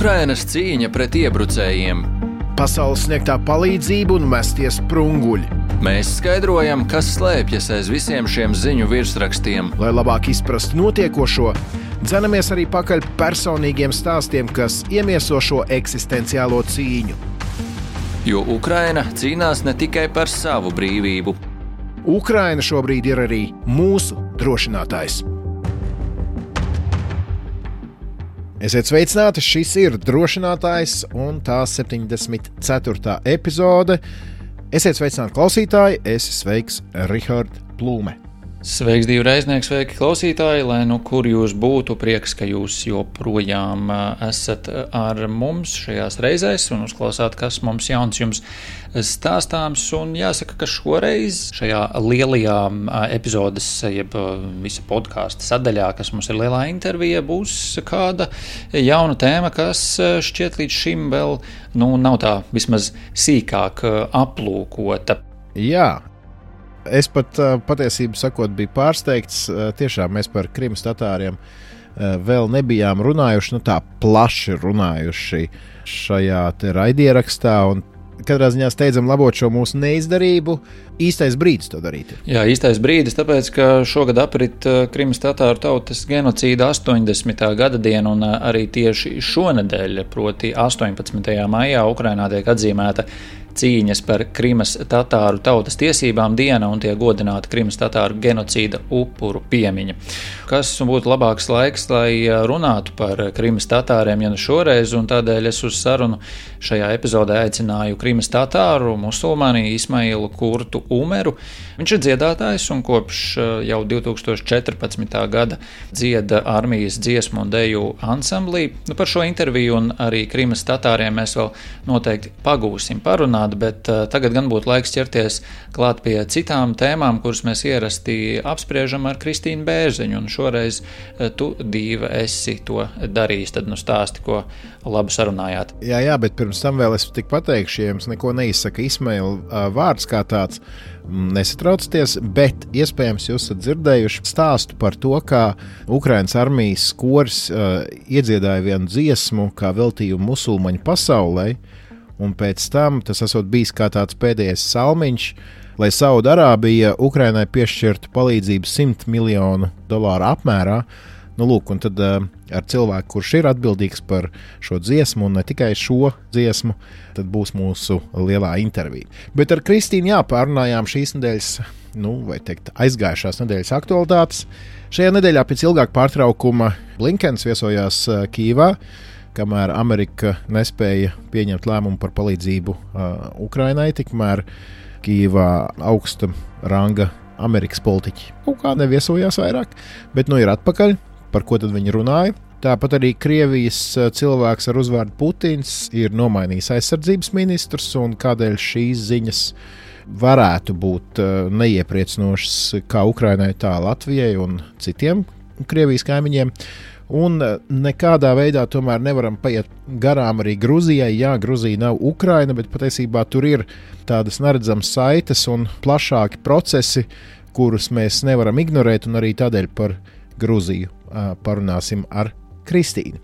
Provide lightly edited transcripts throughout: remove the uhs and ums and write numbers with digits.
Ukrainas cīņa pret iebrucējiem. Pasaules sniegtā palīdzība un mestie sprunguļi. Mēs skaidrojam, kas slēpjas aiz visiem šiem ziņu virsrakstiem. Lai labāk izprastu notiekošo, dzenamies arī pakaļ personīgiem stāstiem, kas iemieso šo eksistenciālo cīņu. Jo Ukraina cīnās ne tikai par savu brīvību. Ukraina šobrīd ir arī mūsu drošinātājs. Esiet sveicināti, šis ir drošinātājs un tā 74. epizode. Esiet sveicināti klausītāji, esi sveiks Rihard Plūme. Sveiks, divi reiznieki, sveiki klausītāji, lai nu kur jūs būtu, prieks, ka jūs joprojām esat ar mums šajās reizēs un uzklausāt, kas mums jauns jums stāstāms. Un jāsaka, ka šoreiz šajā lielajā epizodes, jeb visa podkāsta sadaļā, kas mums ir lielā intervija, būs kāda jauna tēma, kas šķiet līdz šim vēl nav tā vismaz sīkāk aplūkota. Jā. Es pat patiesību sakot biju pārsteigts. Tiešām mēs par Krimas tatāriem vēl nebijām runājuši, tā plaši runājuši šajā te raidierakstā. Un katrā ziņā steidzam labot šo mūsu neizdarību. Īstais brīdis to darīt. Jā, īstais brīdis, tāpēc, ka šogad aprit Krimas tatāru tautas genocīda 80. gada diena, un arī tieši šonedēļ, proti 18. maijā, Ukrainā tiek atzīmēta cīņas par Krimas tatāru tautas tiesībām diena un tiek godināta Krimas tatāru genocīda upuru piemiņa. Kas būtu labāks laiks, lai runātu par Krimas tatāriem, ja ne šoreiz, un tādēļ es uz sarunu šajā epizodē aicināju Krimas tatāru musulmani Ismailu Kurtu Umeru. Viņš ir dziedātājs un kopš jau 2014. gada dzieda armijas dziesmu un deju ansamblī. Par šo interviju un arī Krimas tatāriem mēs vēl noteikti pagūsim parunāt, bet tagad gan būtu laiks ķerties klāt pie citām tēmām, kuras mēs ierasti apspriežam ar Kristīnu Bērziņu, un šoreiz tu, Dīva, esi to darījis, tad stāsti, ko labi sarunājāt. Jā, bet pirms tam vēl es tik pateikšu, ja jums neko neizsaka Ismaila vārds kā tāds, nesatraucieties, bet iespējams jūs esat dzirdējuši stāstu par to, kā Ukrainas armijas koris iedziedāja vienu dziesmu kā veltījumu musulmaņu pasaulē, un pēc tam tas esot bijis kā tāds pēdējais salmiņš, lai Saudarābija Ukrainai piešķirtu palīdzību $100 miljonu apmērā. Lūk, un tad ar cilvēku, kurš ir atbildīgs par šo dziesmu, un ne tikai šo dziesmu, tad būs mūsu lielā intervija. Bet ar Kristīnu pārunājām šīs nedēļas, aizgājušās nedēļas aktualitātes. Šajā nedēļā pēc ilgāka pārtraukuma Blinkens viesojās Kijevā, kamēr Amerika nespēja pieņemt lēmumu par palīdzību Ukrainai, tikmēr Kijevā augsta ranga Amerikas politiķi kaut kā neviesojās vairāk, bet ir atpakaļ. Par ko tad viņi runāja? Tāpat arī Krievijas cilvēks ar uzvārdu Putins ir nomainījis aizsardzības ministrus, un kādēļ šīs ziņas varētu būt neiepriecinošas kā Ukrainai, tā Latvijai un citiem Krievijas kaimiņiem. Un nekādā veidā tomēr nevaram paiet garām arī Gruzijai. Jā, Gruzija nav Ukraina, bet patiesībā tur ir tādas neredzamas saites un plašāki procesi, kurus mēs nevaram ignorēt, un arī tādēļ par Gruziju parunāsim ar Kristīnu.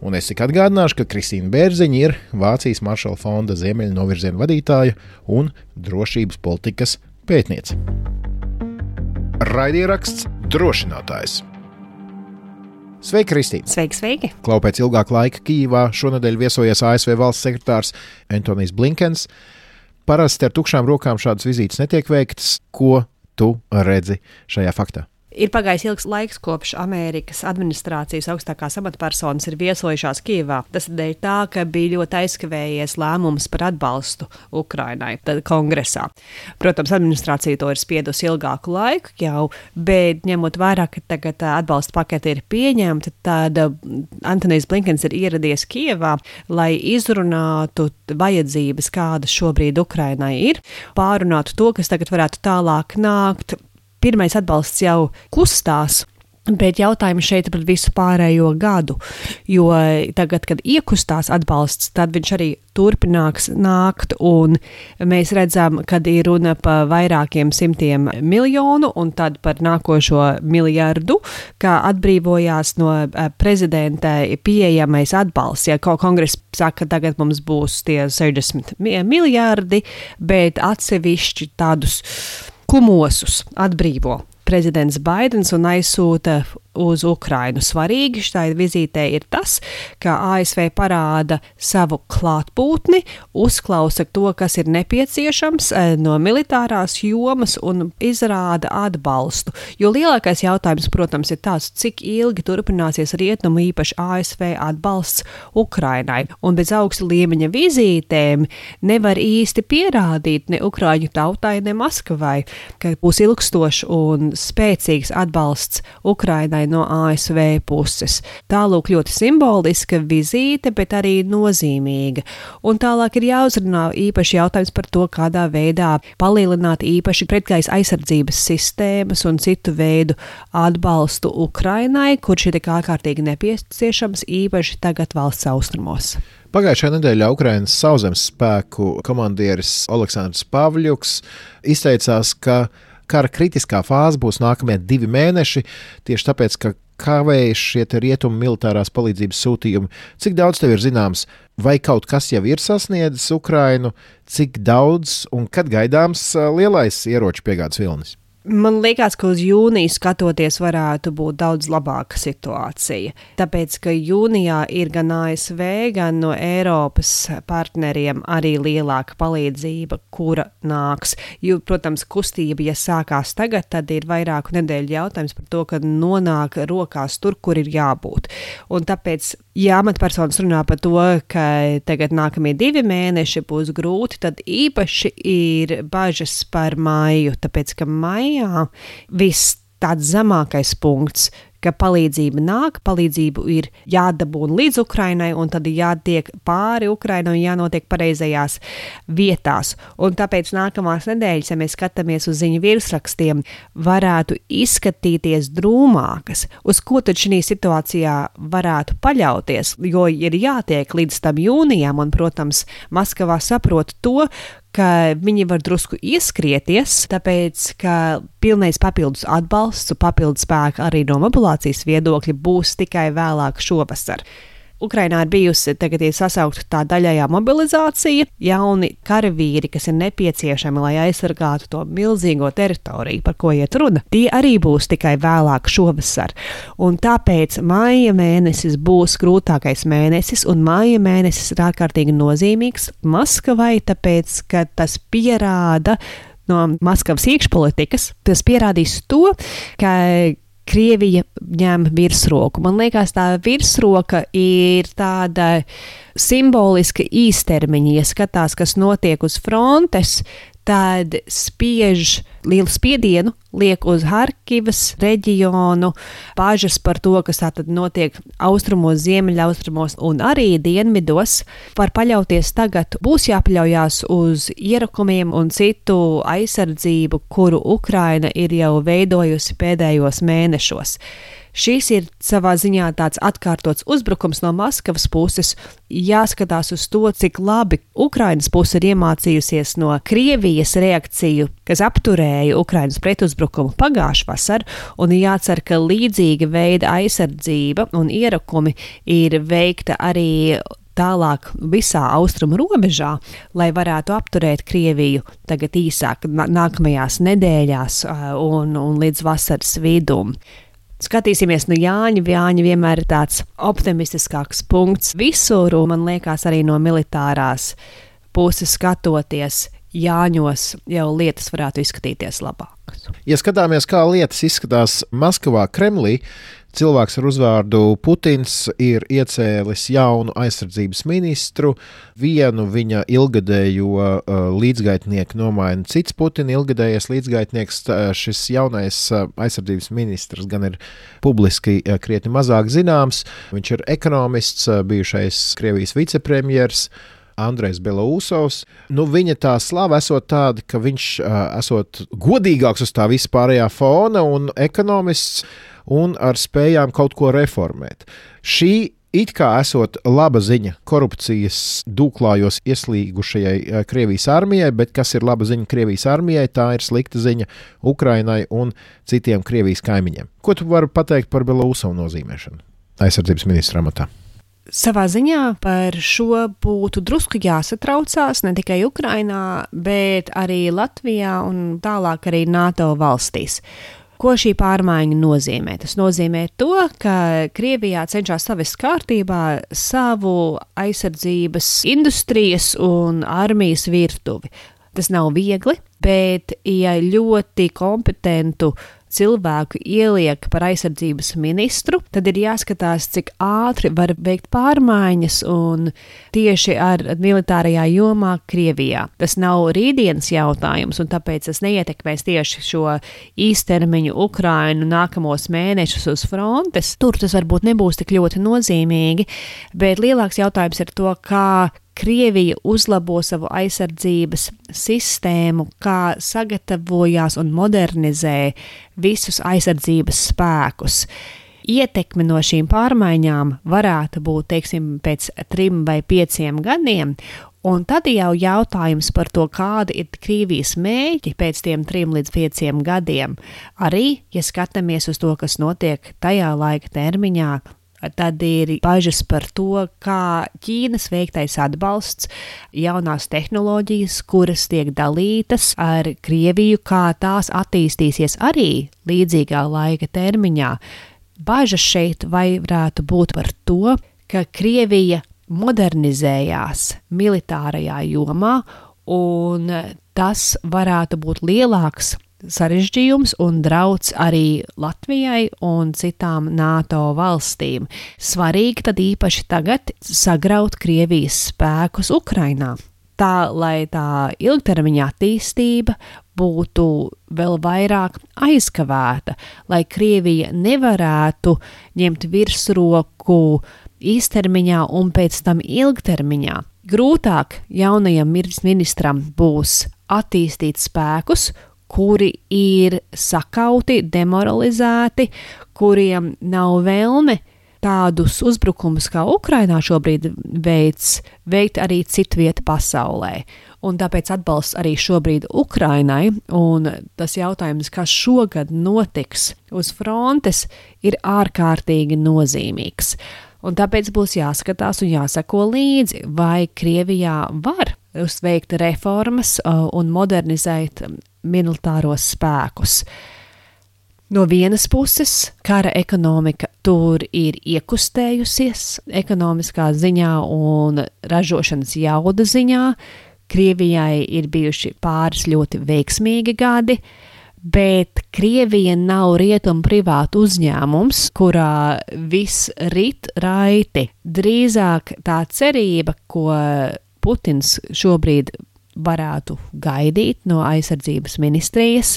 Un es tik atgādināšu, ka Kristīna Bērziņa ir Vācijas Maršala fonda ziemeļu novirziena vadītāja un drošības politikas pētniece. Raidieraksts drošinātājs. Sveiki, Kristīna! Sveiki! Klau pēc ilgāka laika Kijevā šonedēļ viesojies ASV valsts sekretārs Antonijs Blinkens. Parasti ar tukšām rokām šādas vizītes netiek veiktas. Ko tu redzi šajā faktā? Ir pagājis ilgs laiks, kopš Amerikas administrācijas augstākās amatpersonas ir viesojušās Kijevā. Tas dēļ tā, ka bija ļoti aizkavējies lēmums par atbalstu Ukrainai kongresā. Protams, administrācija to ir spiedusi ilgāku laiku jau, bet ņemot vērā, ka tagad atbalsta pakete ir pieņemta, tad Antonijs Blinkens ir ieradies Kijevā, lai izrunātu vajadzības, kādas šobrīd Ukrainai ir, pārunātu to, kas tagad varētu tālāk nākt. Pirmais atbalsts jau kustās. Bet jautājums šeit par visu pārējo gadu, jo tagad, kad iekustās atbalsts, tad viņš arī turpinās nākt, un mēs redzam, kad ir runa par vairākiem simtiem miljonu, un tad par nākošo miljardu, kā atbrīvojās no prezidenta pieejamais atbalsts. Ja kongress saka, tagad mums būs tie 60 miljardi, bet atsevišķi tādus kumosus atbrīvo prezidents Baidens un aizsūta uz Ukrainu. Svarīgi šai vizītē ir tas, ka ASV parāda savu klātbūtni, uzklausa to, kas ir nepieciešams no militārās jomas un izrāda atbalstu. Jo lielākais jautājums, protams, ir tāds, cik ilgi turpināsies rietumu, īpaši ASV atbalsts Ukrainai. Un bez augsta līmeņa vizītēm nevar īsti pierādīt ne Ukraiņu tautai, ne Maskavai, ka būs ilgstošs un spēcīgs atbalsts Ukrainai no ASV puses. Tālūk ļoti simboliska vizīte, bet arī nozīmīga. Un tālāk ir jāuzrunā īpaši jautājums par to, kādā veidā palielināt īpaši pretgaisa aizsardzības sistēmas un citu veidu atbalstu Ukrainai, kurš ir tik ārkārtīgi nepieciešams īpaši tagad valsts austrumos. Pagājušajā nedēļā Ukrainas sauszemes spēku komandieris Oleksandrs Pavļuks izteicās, ka kara kritiskā fāze būs nākamie 2 mēneši, tieši tāpēc, ka kavējas šie rietumu militārās palīdzības sūtījumi. Cik daudz tev ir zināms, vai kaut kas jau ir sasniedzis Ukrainu, cik daudz un kad gaidāms lielais ieroču piegādes vilnis? Man liekas, ka uz jūniju skatoties varētu būt daudz labāka situācija. Tāpēc, ka jūnijā ir gan ASV, gan no Eiropas partneriem arī lielāka palīdzība, kura nāks. Jo, protams, kustība, ja sākās tagad, tad ir vairāku nedēļu jautājums par to, ka nonāk rokās tur, kur ir jābūt. Un tāpēc, ja amatpersonas runā par to, ka tagad nākamie 2 mēneši būs grūti, tad īpaši ir bažas par maiju, tāpēc, ka maijā viss tāds zemākais punkts, ka palīdzība nāk, palīdzību ir jādabūna līdz Ukrainai, un tad jātiek pāri Ukrainai un jānotiek pareizajās vietās. Un tāpēc nākamās nedēļas, ja mēs skatāmies uz ziņu virsrakstiem, varētu izskatīties drūmākas. Uz ko tad šī situācijā varētu paļauties, jo ir jātiek līdz tam jūnijam, un, protams, Maskavā saprot to, ka viņi var drusku ieskrieties, tāpēc, ka pilnais papildus atbalsts, papildus spēka arī no mobilācijas viedokļa būs tikai vēlāk šovasar. Ukrainā ir bijusi tagad sasaukta tā daļējā mobilizācija, jauni karavīri, kas ir nepieciešami, lai aizsargātu to milzīgo teritoriju, par ko iet runa. Tie arī būs tikai vēlāk šovasar. Un tāpēc maija mēnesis būs grūtākais mēnesis, un maija mēnesis ir ārkārtīgi nozīmīgs Maskavai, tāpēc, ka tas pierāda no Maskavas iekšpolitikas, tas pierādīs to, ka Krievija ņem virsroku. Man liekas, tā virsroka ir tāda simboliska īstermiņa. Ja skatās, kas notiek uz frontes, tad spiež lielu spiedienu, liek uz Harkivas reģionu, bažas par to, kas tātad notiek austrumos, ziemeļaustrumos un arī dienvidos. Var paļauties tagad, būs jāpaļaujās uz ierakumiem un citu aizsardzību, kuru Ukraina ir jau veidojusi pēdējos mēnešos. Šis ir savā ziņā tāds atkārtots uzbrukums no Maskavas puses. Jāskatās uz to, cik labi Ukrainas puse ir iemācījusies no Krievijas reakciju, kas apturēja Ukrainas pretuzbrukumu pagājušā vasarā, un jācer, ka līdzīga veida aizsardzība un ierakumi ir veikta arī tālāk visā austrumu robežā, lai varētu apturēt Krieviju tagad īsāk nākamajās nedēļās un līdz vasaras vidum. Skatīsimies no Jāņa. Jāņa vienmēr ir tāds optimistiskāks punkts visur, un man liekas arī no militārās puses skatoties Jāņos jau lietas varētu izskatīties labākas. Ja skatāmies, kā lietas izskatās Maskavā, Kremlī, cilvēks ar uzvārdu Putins ir iecēlis jaunu aizsardzības ministru, vienu viņa ilgadējo līdzgaitnieku nomaina cits Putina ilgadējais līdzgaitnieks. Šis jaunais aizsardzības ministrs gan ir publiski krietni mazāk zināms. Viņš ir ekonomists, bijušais Krievijas vicepremjers. Andrejs Belousovs. Viņa tā slava esot tāda, ka viņš esot godīgāks uz tā vispārējā fona un ekonomists un ar spējām kaut ko reformēt. Šī it kā esot laba ziņa korupcijas dūklājos ieslīgušajai Krievijas armijai, bet kas ir laba ziņa Krievijas armijai, tā ir slikta ziņa Ukrainai un citiem Krievijas kaimiņiem. Ko tu vari pateikt par Belousovu nozīmēšanu aizsardzības ministra amatā? Savā ziņā par šo būtu drusku jāsatraucās ne tikai Ukrainā, bet arī Latvijā un tālāk arī NATO valstīs. Ko šī pārmaiņa nozīmē? Tas nozīmē to, ka Krievijā cenšas savest kārtībā savu aizsardzības industrijas un armijas virtuvi. Tas nav viegli, bet ja ļoti kompetentu cilvēku ieliek par aizsardzības ministru, tad ir jāskatās, cik ātri var veikt pārmaiņas un tieši ar militārajā jomā Krievijā. Tas nav rītdienas jautājums, un tāpēc tas neietekmēs tieši šo īstermiņu Ukrainu nākamos mēnešus uz frontes. Tur tas varbūt nebūs tik ļoti nozīmīgi, bet lielāks jautājums ir to, kā Krievija uzlabo savu aizsardzības sistēmu, kā sagatavojās un modernizē visus aizsardzības spēkus. Ietekme no šīm pārmaiņām varētu būt, teiksim, pēc 3 vai 5 gadiem, un tad jau jautājums par to, kādi ir Krievijas mērķi pēc tiem 3 līdz 5 gadiem. Arī, ja skatāmies uz to, kas notiek tajā laika termiņā, tad ir bažas par to, kā Ķīnas veiktais atbalsts, jaunās tehnoloģijas, kuras tiek dalītas ar Krieviju, kā tās attīstīsies arī līdzīgā laika termiņā. Bažas šeit varētu būt par to, ka Krievija modernizējās militārajā jomā, un tas varētu būt lielāks sarežģījums un drauds arī Latvijai un citām NATO valstīm. Svarīgi tad īpaši tagad sagraut Krievijas spēkus Ukrainā. Tā, lai tā ilgtermiņa attīstība būtu vēl vairāk aizkavēta, lai Krievija nevarētu ņemt virsroku īstermiņā un pēc tam ilgtermiņā. Grūtāk jaunajam ministram būs attīstīt spēkus, kuri ir sakauti, demoralizēti, kuriem nav vēlme tādus uzbrukumus, kā Ukrainā šobrīd veikt arī citvieta pasaulē. Un tāpēc atbalsts arī šobrīd Ukrainai, un tas jautājums, kas šogad notiks uz frontes, ir ārkārtīgi nozīmīgs. Un tāpēc būs jāskatās un jāsako līdzi, vai Krievijā var uzveikt reformas un modernizēt militāros spēkus. No vienas puses, kara ekonomika tur ir iekustējusies ekonomiskā ziņā un ražošanas jauda ziņā. Krievijai ir bijuši pāris ļoti veiksmīgi gadi, bet Krievija nav rietumu privātu uzņēmums, kurā viss rit raiti. Drīzāk tā cerība, ko Putins šobrīd varētu gaidīt no aizsardzības ministrijas,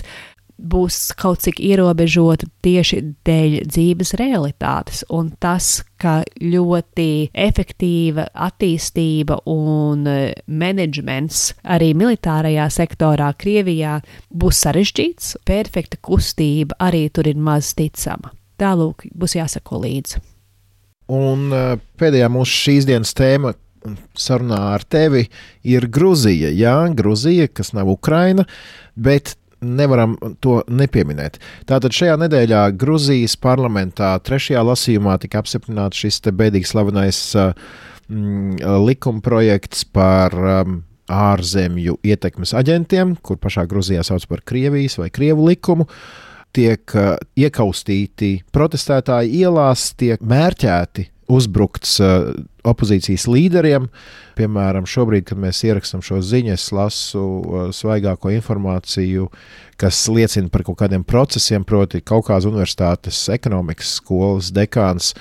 būs kaut cik ierobežota tieši dēļ dzīves realitātes, un tas, ka ļoti efektīva attīstība un menedžments arī militārajā sektorā Krievijā būs sarežģīts, perfekta kustība arī tur ir maz ticama. Tālūk, būs jāsako līdzi. Un pēdējā mūsu šīs dienas tēma sarunā ar tevi ir Gruzija. Jā, Gruzija, kas nav Ukraina, bet nevaram to nepieminēt. Tātad šajā nedēļā Gruzijas parlamentā 3. lasījumā tika apstiprināts šis te bēdīgi slavenais likumprojekts par ārzemju ietekmes aģentiem, kur pašā Gruzijā sauc par Krievijas vai Krievu likumu. Tiek iekaustīti protestētāji ielās, tiek mērķēti uzbrukts opozīcijas līderiem. Piemēram, šobrīd, kad mēs ierakstam šo ziņu, es lasu svaigāko informāciju, kas liecina par kaut kādiem procesiem, proti Kaukāza universitātes ekonomikas skolas dekāns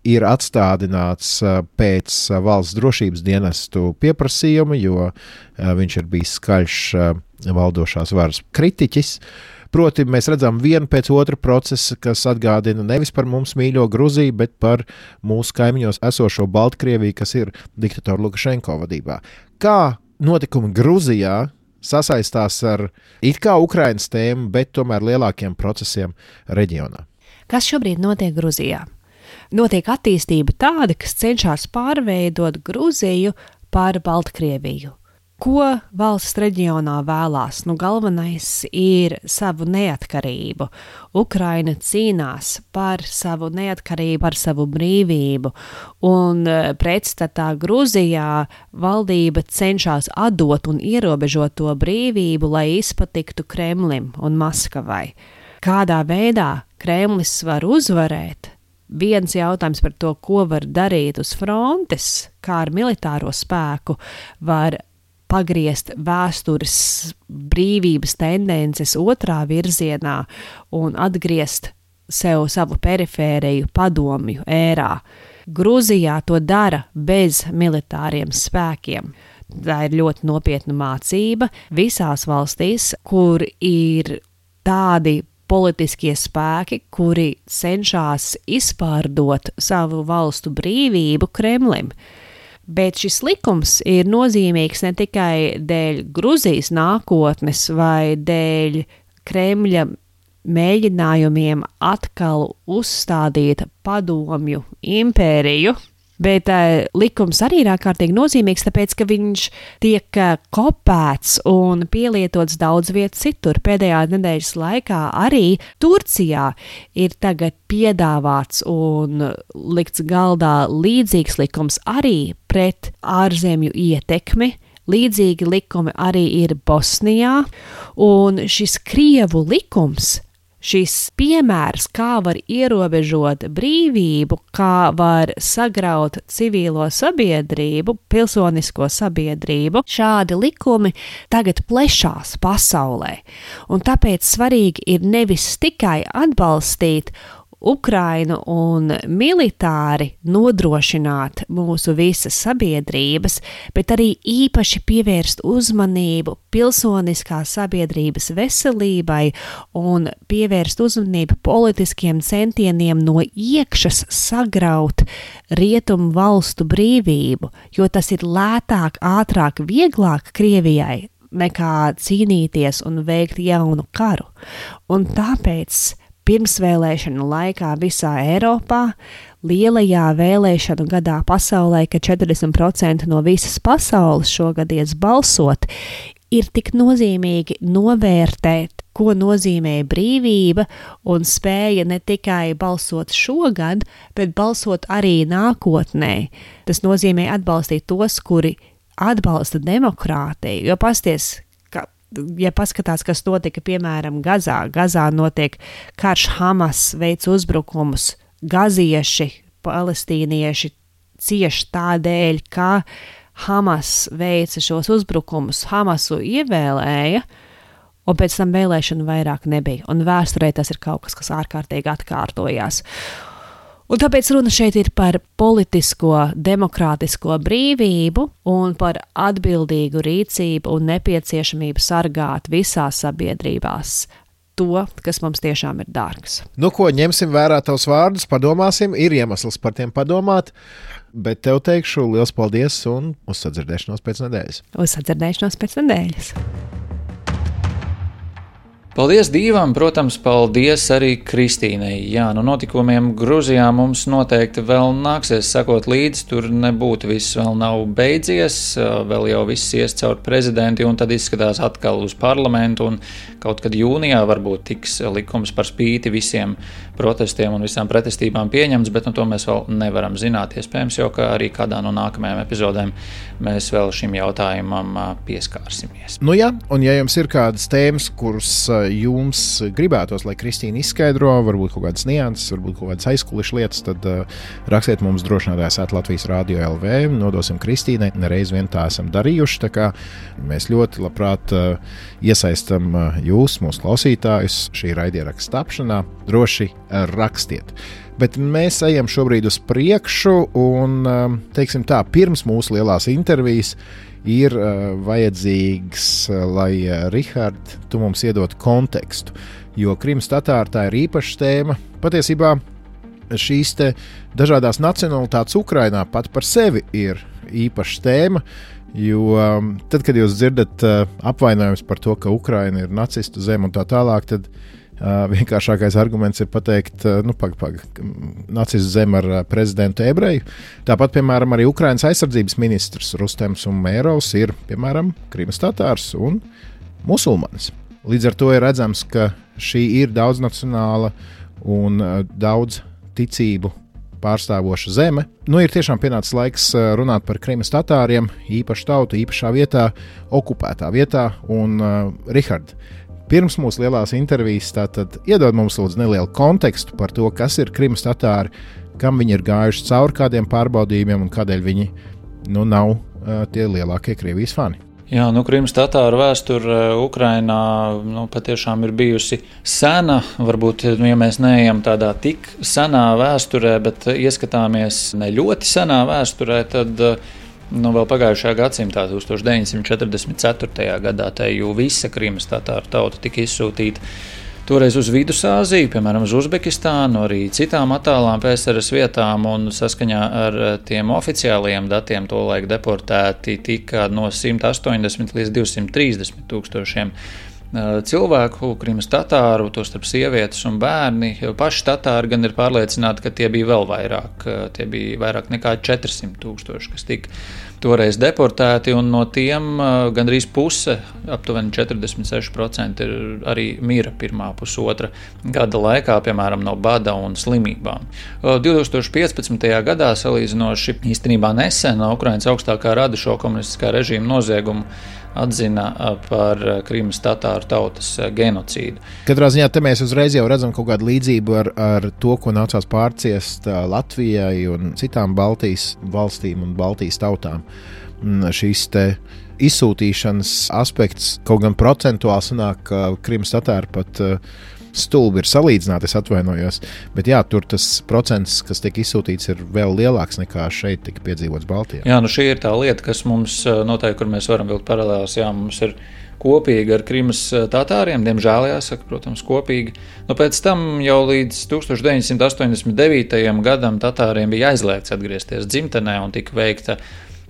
ir atstādināts pēc valsts drošības dienestu pieprasījuma, jo viņš ir bijis skaļš valdošās varas kritiķis. Proti, mēs redzam vienu pēc otra procesa, kas atgādina nevis par mums mīļo Gruziju, bet par mūsu kaimiņos esošo Baltkrieviju, kas ir diktatora Lukašenko vadībā. Kā notikumi Gruzijā sasaistās ar it kā Ukrainas tēmu, bet tomēr lielākiem procesiem reģionā? Kas šobrīd notiek Gruzijā? Notiek attīstība tāda, kas cenšas pārveidot Gruziju par Baltkrieviju. Ko valsts reģionā vēlās? Galvenais ir savu neatkarību. Ukraina cīnās par savu neatkarību, par savu brīvību, un pretstatā Gruzijā valdība cenšas atdot un ierobežot to brīvību, lai izpatiktu Kremlim un Maskavai. Kādā veidā Kremlis var uzvarēt? Viens jautājums par to, ko var darīt uz frontes, kā ar militāro spēku var pagriezt vēstures brīvības tendences otrā virzienā un atgriezt savu perifēriju padomju ērā. Gruzijā to dara bez militāriem spēkiem. Tā ir ļoti nopietna mācība visās valstīs, kur ir tādi politiskie spēki, kuri cenšas izpārdot savu valstu brīvību Kremlim. Bet šis likums ir nozīmīgs ne tikai dēļ Gruzijas nākotnes vai dēļ Kremļa mēģinājumiem atkal uzstādīt padomju impēriju, bet likums arī ir ārkārtīgi nozīmīgs, tāpēc, ka viņš tiek kopēts un pielietots daudz vietu citur. Pēdējā nedēļas laikā arī Turcijā ir tagad piedāvāts un likts galdā līdzīgs likums arī pret ārzemju ietekmi. Līdzīgi likumi arī ir Bosnijā, un šis Krievu likums, šis piemērs, kā var ierobežot brīvību, kā var sagraut civilo sabiedrību, pilsonisko sabiedrību, šādi likumi tagad plešās pasaulē. Un tāpēc svarīgi ir nevis tikai atbalstīt Ukrainu un militāri nodrošināt mūsu visas sabiedrības, bet arī īpaši pievērst uzmanību pilsoniskās sabiedrības veselībai un pievērst uzmanību politiskiem centieniem no iekšas sagraut rietumu valstu brīvību, jo tas ir lētāk, ātrāk, vieglāk Krievijai nekā cīnīties un veikt jaunu karu. Un tāpēc pirmsvēlēšanu laikā visā Eiropā, lielajā vēlēšanu gadā pasaulē, kad 40% no visas pasaules šogad ies balsot, ir tik nozīmīgi novērtēt, ko nozīmē brīvība un spēja ne tikai balsot šogad, bet balsot arī nākotnē. Tas nozīmē atbalstīt tos, kuri atbalsta demokrātiju, jo pasties, ja paskatās, kas notika, piemēram, Gazā notiek karš, Hamas veic uzbrukumus, gazieši, palestīnieši cieši tādēļ, ka Hamas veica šos uzbrukumus, Hamasu ievēlēja, un pēc tam vēlēšanu vairāk nebija. Un vēsturē tas ir kaut kas ārkārtīgi atkārtojās. Un tāpēc runa šeit ir par politisko, demokrātisko brīvību un par atbildīgu rīcību un nepieciešamību sargāt visās sabiedrībās to, kas mums tiešām ir dārgs. Ko ņemsim vērā tavus vārdus, padomāsim, ir iemesls par tiem padomāt, bet tev teikšu liels paldies un uz sadzirdēšanos pēc nedēļas. Uz sadzirdēšanos pēc nedēļas. Paldies Dīvam, protams, paldies arī Kristīnai. Jā, notikumiem Gruzijā mums noteikti vēl nāksies sekot līdzi, tur nebūtu viss vēl nav beidzies, vēl jau viss ies caur prezidenti un tad izskatās atkal uz parlamentu un kaut kad jūnijā varbūt tiks likums par spīti visiem protestiem un visām pretestībām pieņemts, bet to mēs vēl nevaram zināt. Iespējams jau, ka arī kādā no nākamajām epizodēm mēs vēl šim jautājumam pieskārsimies. Jā, un ja jums ir kādas tēmas, kuras jums gribētos, lai Kristīna izskaidro, varbūt kaut kādas nianses, varbūt kaut kādas aizkulišu lietas, tad rakstiet mums drošinātājs @Latvijas Radio LV, nodosim Kristīnai, nereiz vien tā esam darījuši, tā kā mēs ļoti labprāt iesaistam jūs, mūsu klausītājus, šī raidieraksta tapšanā, droši rakstiet. Bet mēs ejam šobrīd uz priekšu un, teiksim tā, pirms mūsu lielās intervijas ir vajadzīgs, lai Rihard, tu mums iedod kontekstu. jo Krimas tatāri tā ir īpaša tēma. Patiesībā šīs te dažādās nacionalitātes Ukrainā pat par sevi ir īpaša tēma, jo tad, kad jūs dzirdat apvainojums par to, ka Ukraina ir nacistu zeme un tā tālāk, tad vienkāršākais arguments ir pateikt, nacistu zeme ar prezidentu ebreju. Tāpat, piemēram, arī Ukrainas aizsardzības ministrs Rustems Umerovs ir, piemēram, Krimas tatārs un musulmanis. Līdz ar to ir redzams, ka šī ir daudznacionāla un daudz ticību pārstāvoša zeme. Ir tiešām pienācis laiks runāt par Krimas tatāriem, īpašu tautu, īpašā vietā, okupētā vietā. Un, Rihard, pirms mūsu lielās intervijas tātad iedod mums lūdzu nelielu kontekstu par to, kas ir Krimas tatāri, kam viņi ir gājuši cauri kādiem pārbaudījumiem un kādēļ viņi nav tie lielākie Krievijas fani. Jā, Krimas tatāru vēsture Ukrainā patiešām ir bijusi sena. Varbūt, ja mēs neejam tādā tik senā vēsturē, bet ieskatāmies ne ļoti senā vēsturē, tad vēl pagājušajā gadsimtā, 1944. gadā, jau visa Krimas tatāru tauta tika izsūtīta toreiz uz Vidusāziju, piemēram, uz Uzbekistānu, arī citām attālām PSRS vietām, un saskaņā ar tiem oficiālajiem datiem tolaik deportēti tika no 180 līdz 230 tūkstošiem cilvēku, Krimas tatāru, tostarp sievietes un bērni. Paši tatāri gan ir pārliecināti, ka tie bija vēl vairāk, tie bija vairāk nekā 400 tūkstoši, kas tika toreiz deportēti, un no tiem gandrīz puse, aptuveni 46% arī mira pirmā pusotra gada laikā, piemēram, no bada un slimībām. 2015. gadā, salīdzinoši īstenībā nesen, Ukrainas augstākā rada šo komunistiskā režīma noziegumu atzina par Krimas tatāru tautas genocīdu. Katrā ziņā te mēs uzreiz jau redzam kaut kādu līdzību ar to, ko nācās pārciest Latvijai un citām Baltijas valstīm un Baltijas tautām. Šīs te izsūtīšanas aspekts kaut gan procentuāli sanāk, ka Krimas tatāri pat stulbi ir salīdzināti, es atvainojos, bet jā, tur tas procents, kas tiek izsūtīts, ir vēl lielāks nekā šeit tika piedzīvots Baltijā. Jā, šī ir tā lieta, kas mums noteikti, kur mēs varam vilkt paralēlās, jā, mums ir kopīgi ar Krimas tatāriem, diemžēl jāsaka, protams, kopīgi. Pēc tam jau līdz 1989. gadam tatāriem bija aizliegts atgriezties dzimtenē un tika veikta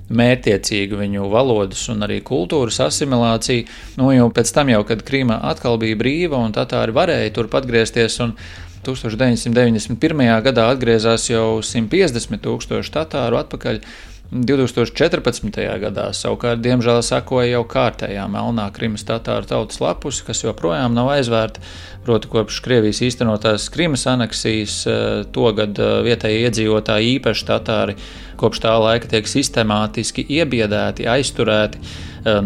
mērķtiecīga viņu valodas un arī kultūras asimilācija. Jo pēc tam jau, kad Krīma atkal bija brīva un tatāri varēja turp atgriezties, un 1991. gadā atgriezās jau 150 tūkstoši tatāru atpakaļ. 2014. gadā savukārt, diemžēl, sakoja jau kārtējā melnā Krimas tatāru tautas lapus, kas joprojām nav aizvērta. Proti, kopš Krievijas īstenotās Krimas aneksijas, togad vietēji iedzīvotāji, īpaši tatāri, kopš tā laika tiek sistemātiski iebiedēti, aizturēti,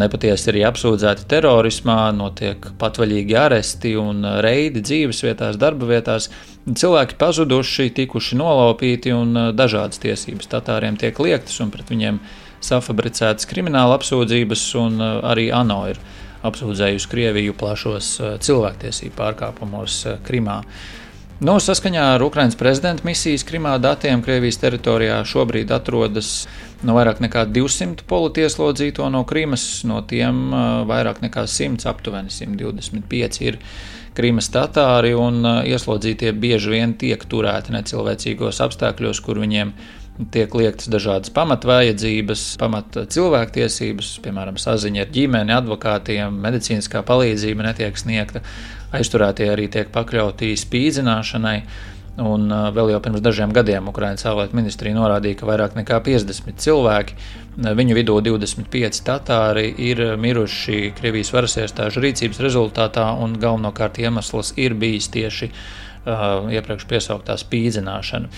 nepatiesi arī apsūdzēti terorismā, notiek patvaļīgi aresti un reidi dzīves vietās, darba vietās. Cilvēki pazuduši, tikuši nolaupīti un dažādas tiesības tatāriem tiek liektas un pret viņiem safabricētas krimināla apsūdzības, un arī ANO ir apsūdzējusi Krieviju plašos cilvēktiesību pārkāpumos Krimā. Saskaņā ar Ukrainas prezidenta misijas Krimā datiem Krievijas teritorijā šobrīd atrodas vairāk nekā 200 politieslodzīto no Krimas, no tiem vairāk nekā 100, aptuveni 125 ir Krimas tatāri, un ieslodzītie bieži vien tiek turēti necilvēcīgos apstākļos, kur viņiem tiek liektas dažādas pamatvajadzības, cilvēktiesības, piemēram, saziņa ar ģimeni, advokātiem, medicīniskā palīdzība netiek sniegta, aizturētie arī tiek pakļauti spīdzināšanai, un vēl jau pirms dažiem gadiem Ukrainas ārlietu ministrija norādīja, ka vairāk nekā 50 cilvēki, viņu vidū 25 tatāri, ir miruši Krievijas varas iestāžu rīcības rezultātā, un galvenokārt iemesls ir bijis tieši iepriekš piesauktā spīdzināšana.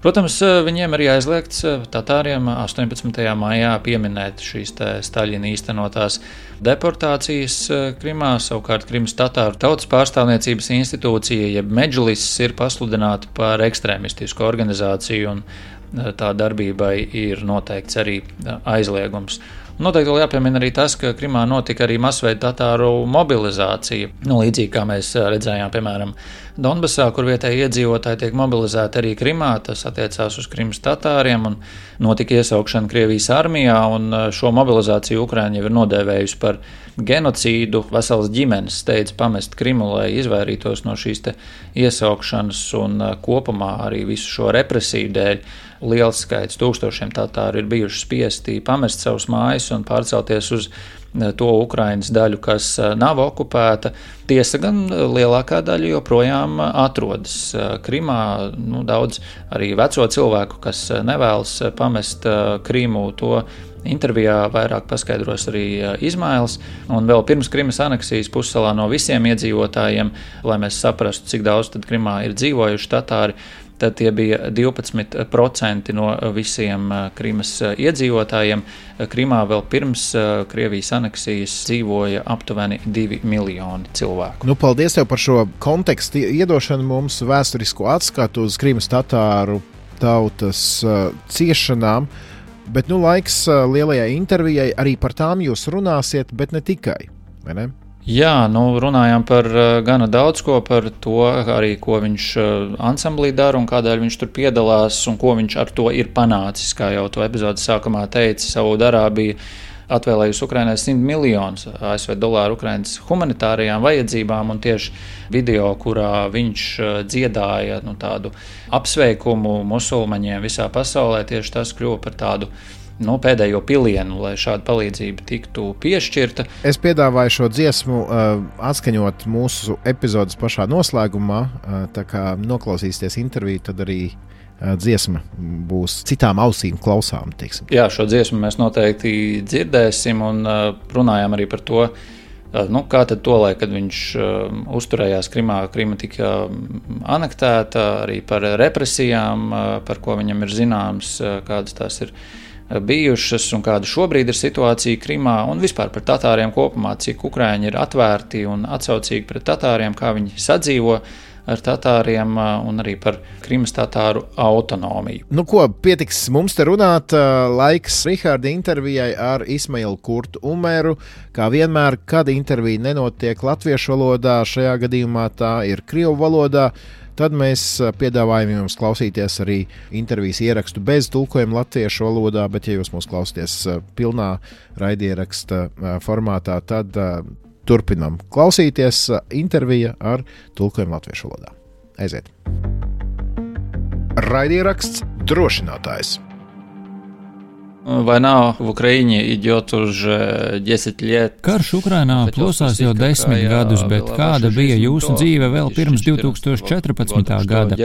Protams, viņiem arī aizliegts tatāriem 18. maijā pieminēt šīs Staļina īstenotās deportācijas Krimā. Savukārt Krimas tatāru tautas pārstāvniecības institūcija, jeb Medžlis, ir pasludināta par ekstrēmistisku organizāciju, un tā darbībai ir noteikts arī aizliegums. Noteikti vēl jāpiemina arī tas, ka Krimā notika arī masveida tatāru mobilizācija. Līdzīgi kā mēs redzējām, piemēram, Donbasā, kur vietēji iedzīvotāji tiek mobilizēti arī Krimā, tas attiecās uz Krimas tatāriem un notika iesaukšana Krievijas armijā, un šo mobilizāciju Ukraina jau ir nodēvējusi par genocīdu. Veselas ģimenes steidz pamest Krimu, lai izvairītos no šīs te iesaukšanas, un kopumā arī visu šo represiju dēļ liels skaits, tūkstošiem tatāru ir bijuši spiesti pamest savus mājas un pārcelties uz to Ukrainas daļu, kas nav okupēta. Tiesa gan lielākā daļa joprojām atrodas Krimā. Daudz arī veco cilvēku, kas nevēlas pamest Krimu, to intervijā vairāk paskaidros arī Izmails. Un vēl pirms Krimas aneksijas pussalā no visiem iedzīvotājiem, lai mēs saprastu, cik daudz tad Krimā ir dzīvojuši tatāri, tad tie bija 12% no visiem Krimas iedzīvotājiem. Krimā vēl pirms Krievijas aneksijas dzīvoja aptuveni 2 miljoni cilvēku. Paldies tev par šo kontekstu iedošanu mums, vēsturisko atskatu uz Krimas tatāru tautas ciešanām. Bet laiks lielajai intervijai, arī par tām jūs runāsiet, bet ne tikai, vai ne? Jā, runājām par gana daudz ko, par to arī, ko viņš ansamblī dara un kādēļ viņš tur piedalās un ko viņš ar to ir panācis, kā jau to epizodes sākumā teica. Saūdarābija atvēlējusi Ukrainai $100 miljonus ASV dolāru Ukrainas humanitārajām vajadzībām, un tieši video, kurā viņš dziedāja tādu apsveikumu musulmaņiem visā pasaulē, tieši tas kļuva par tādu pēdējo pilienu, lai šāda palīdzība tiktu piešķirta. Es piedāvāju šo dziesmu atskaņot mūsu epizodes pašā noslēgumā, tā kā noklausīsieties interviju, tad arī dziesma būs citām ausīm klausām. Teiksim. Jā, šo dziesmu mēs noteikti dzirdēsim, un runājām arī par to, kā tad tolaik, kad viņš uzturējās Krimā, Krima tika anektēta, arī par represijām, par ko viņam ir zināms, kādas tās ir bijušas un kāda šobrīd ir situācija Krimā, un vispār par tatāriem kopumā, cik Ukraiņi ir atvērti un atsaucīgi pret tatāriem, kā viņi sadzīvo ar tatāriem, un arī par Krimas tatāru autonomiju. Pietiks mums te runāt. Laiks Riharda intervijai ar Ismailu Kurtu Umeru. Kā vienmēr, kad intervija nenotiek latviešu valodā, šajā gadījumā tā ir krievu valodā, tad mēs piedāvājam jums klausīties arī intervijas ierakstu bez tulkojuma latviešu valodā, bet ja jūs mūs klausāties pilnā raidieraksta formātā, tad turpinam klausīties intervija ar tulkojumu latviešu valodā. Aiziet! Raidieraksts Drošinātājs. Война в Украине идет уже 10 лет. Karš Ukrainā plosās jau 10 gadus, bet kāda bija jūsu dzīve vēl pirms 2014. gada?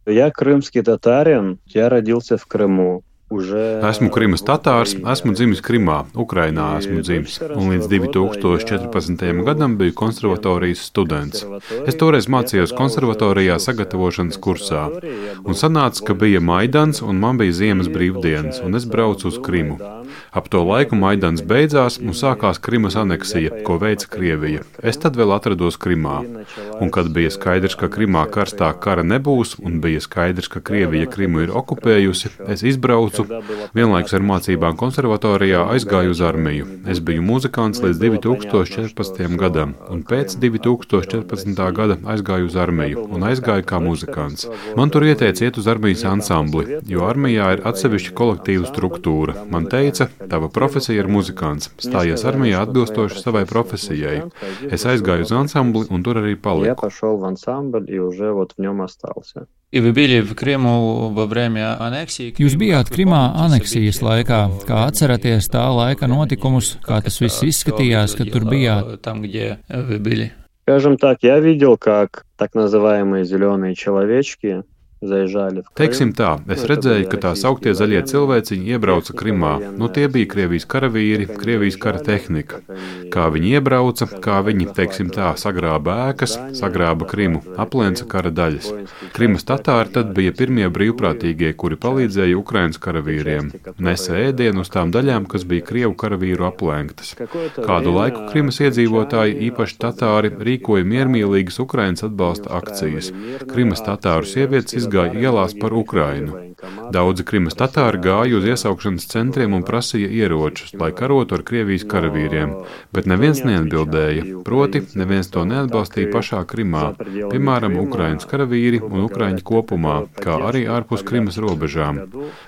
Я крымский татарин, я родился в Крыму. Esmu Krimas tatārs, esmu dzimis Krimā, Ukrainā esmu dzimis, un līdz 2014. gadam biju konservatorijas students. Es toreiz mācījos konservatorijā sagatavošanas kursā, un sanāca, ka bija Maidans, un man bija ziemas brīvdienas, un es braucu uz Krimu. Ap to laiku Maidans beidzās, un sākās Krimas aneksija, ko veica Krievija. Es tad vēl atrados Krimā, un kad bija skaidrs, ka Krimā karstā kara nebūs, un bija skaidrs, ka Krievija Krimu ir okupējusi, es izbraucu. Vienlaikus ar mācībām konservatorijā aizgāju uz armiju. Es biju muzikants līdz 2014. gadam, un pēc 2014. gada aizgāju uz armiju un aizgāju kā muzikants. Man tur ieteica iet uz armijas ansambli, jo armijā ir atsevišķa kolektīva struktūra. Man teica, tava profesija ir muzikants, stājies armijā atbilstoši savai profesijai. Es aizgāju uz ansambli un tur arī paliku. Jūs bijāt Krimā aneksijas laikā. Kā atceraties tā laika notikumus, kā tas viss izskatījās, kad tur bijāt? Скажем так, я видел, как так называемые зеленые человечки заезжали в Крым. Teiksim tā, es redzēju, ka tā sauktie zaļie cilvēciņi iebrauca Krimā. Tie bija Krievijas karavīri, Krievijas kara tehnika. Kā viņi iebrauca, kā viņi, teiksim tā, sagrāba ēkas, sagrāba Krimu, aplenca kara daļas. Krimas tatāri tad bija pirmie brīvprātīgie, kuri palīdzēja Ukrainas karavīriem. Nesa ēdienu uz tām daļām, kas bija Krievu karavīru aplenktas. Kādu laiku Krimas iedzīvotāji, īpaši tatāri, rīkoja miermīlīgas Ukrainas atbalsta akcijas. Krimas tatāru sievietes izgāja ielās par Ukrainu. Daudzi Krimas tatāri gāja uz iesaukšanas centriem un prasīja ieročus, lai karotu ar Krievijas karavīriem, bet neviens neatbildēja, proti neviens to neatbalstīja pašā Krimā, piemēram, Ukrainas karavīri un ukraiņi kopumā, kā arī ārpus Krimas robežām.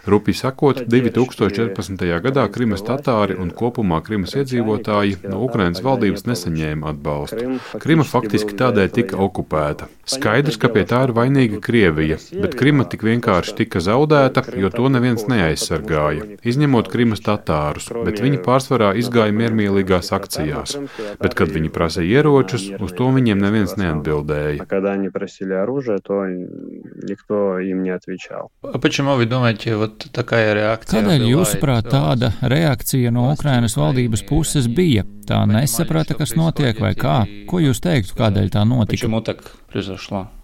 Rupi sakot, 2014. gadā Krimas tatāri un kopumā Krimas iedzīvotāji no Ukrainas valdības nesaņēma atbalstu. Krima faktiski tādēļ tika okupēta. Skaidrs, ka pie tā ir vainīga Krievija, bet Krima tik vienkārši tika zaudēta, jo to neviens neaizsargāja, izņemot Krimas tatārus, bet viņi pārsvarā izgāja miermīlīgās akcijās. Bet, kad viņi prasīja ieročus, uz to viņiem neviens neatbildēja. Kādēļ, jūsuprāt, tāda reakcija no Ukrainas valdības puses bija? Tā nesaprata, kas notiek, vai kā? Ko jūs teiktu, kādēļ tā notika?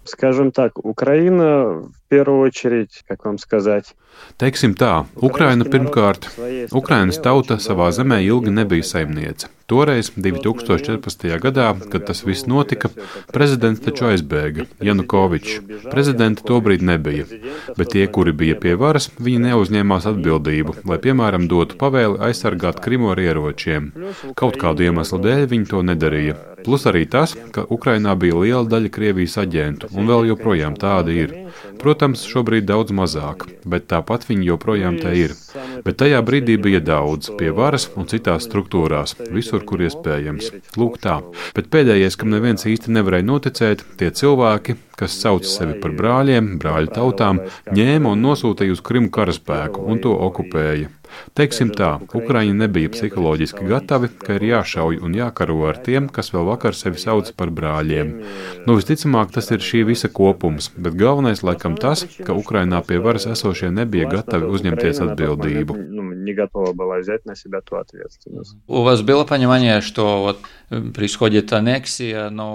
Скажем так, Украина в первую очередь, как вам сказать. Teiksim tā, Ukraina pirmkārt, Ukrainas tauta savā zemē ilgi nebija saimniece. Toreiz, 2014. gadā, kad tas viss notika, prezidents taču aizbēga, Janukovičs. Prezidenta tobrīd nebija, bet tie, kuri bija pie varas, viņi neuzņēmās atbildību, lai, piemēram, dotu pavēli aizsargāt Krimu ar ieročiem. Kaut kādu iemeslu dēļ viņi to nedarīja. Plus arī tas, ka Ukrainā bija liela daļa Krievijas aģentu, un vēl joprojām tādi ir. Protams, šobrīd daudz mazāk, bet tāpat viņi joprojām te ir. Bet tajā brīdī bija daudz, pie varas un citās struktūrās, visur, kur iespējams. Lūk tā. Bet pēdējais, kam neviens īsti nevarēja noticēt, tie cilvēki, kas sauc sevi par brāļiem, brāļu tautām, ņēma un nosūtīja uz Krimu karaspēku un to okupēja. Teiksim tā, Ukraiņi nebija psiholoģiski gatavi, ka ir jāšauj un jākaro ar tiem, kas vēl vakar sevi sauc par brāļiem. Nu, visticamāk, tas ir šī visa kopums, bet galvenais laikam tas, ka Ukrainā pie varas esošie nebija gatavi uzņemties atbildību.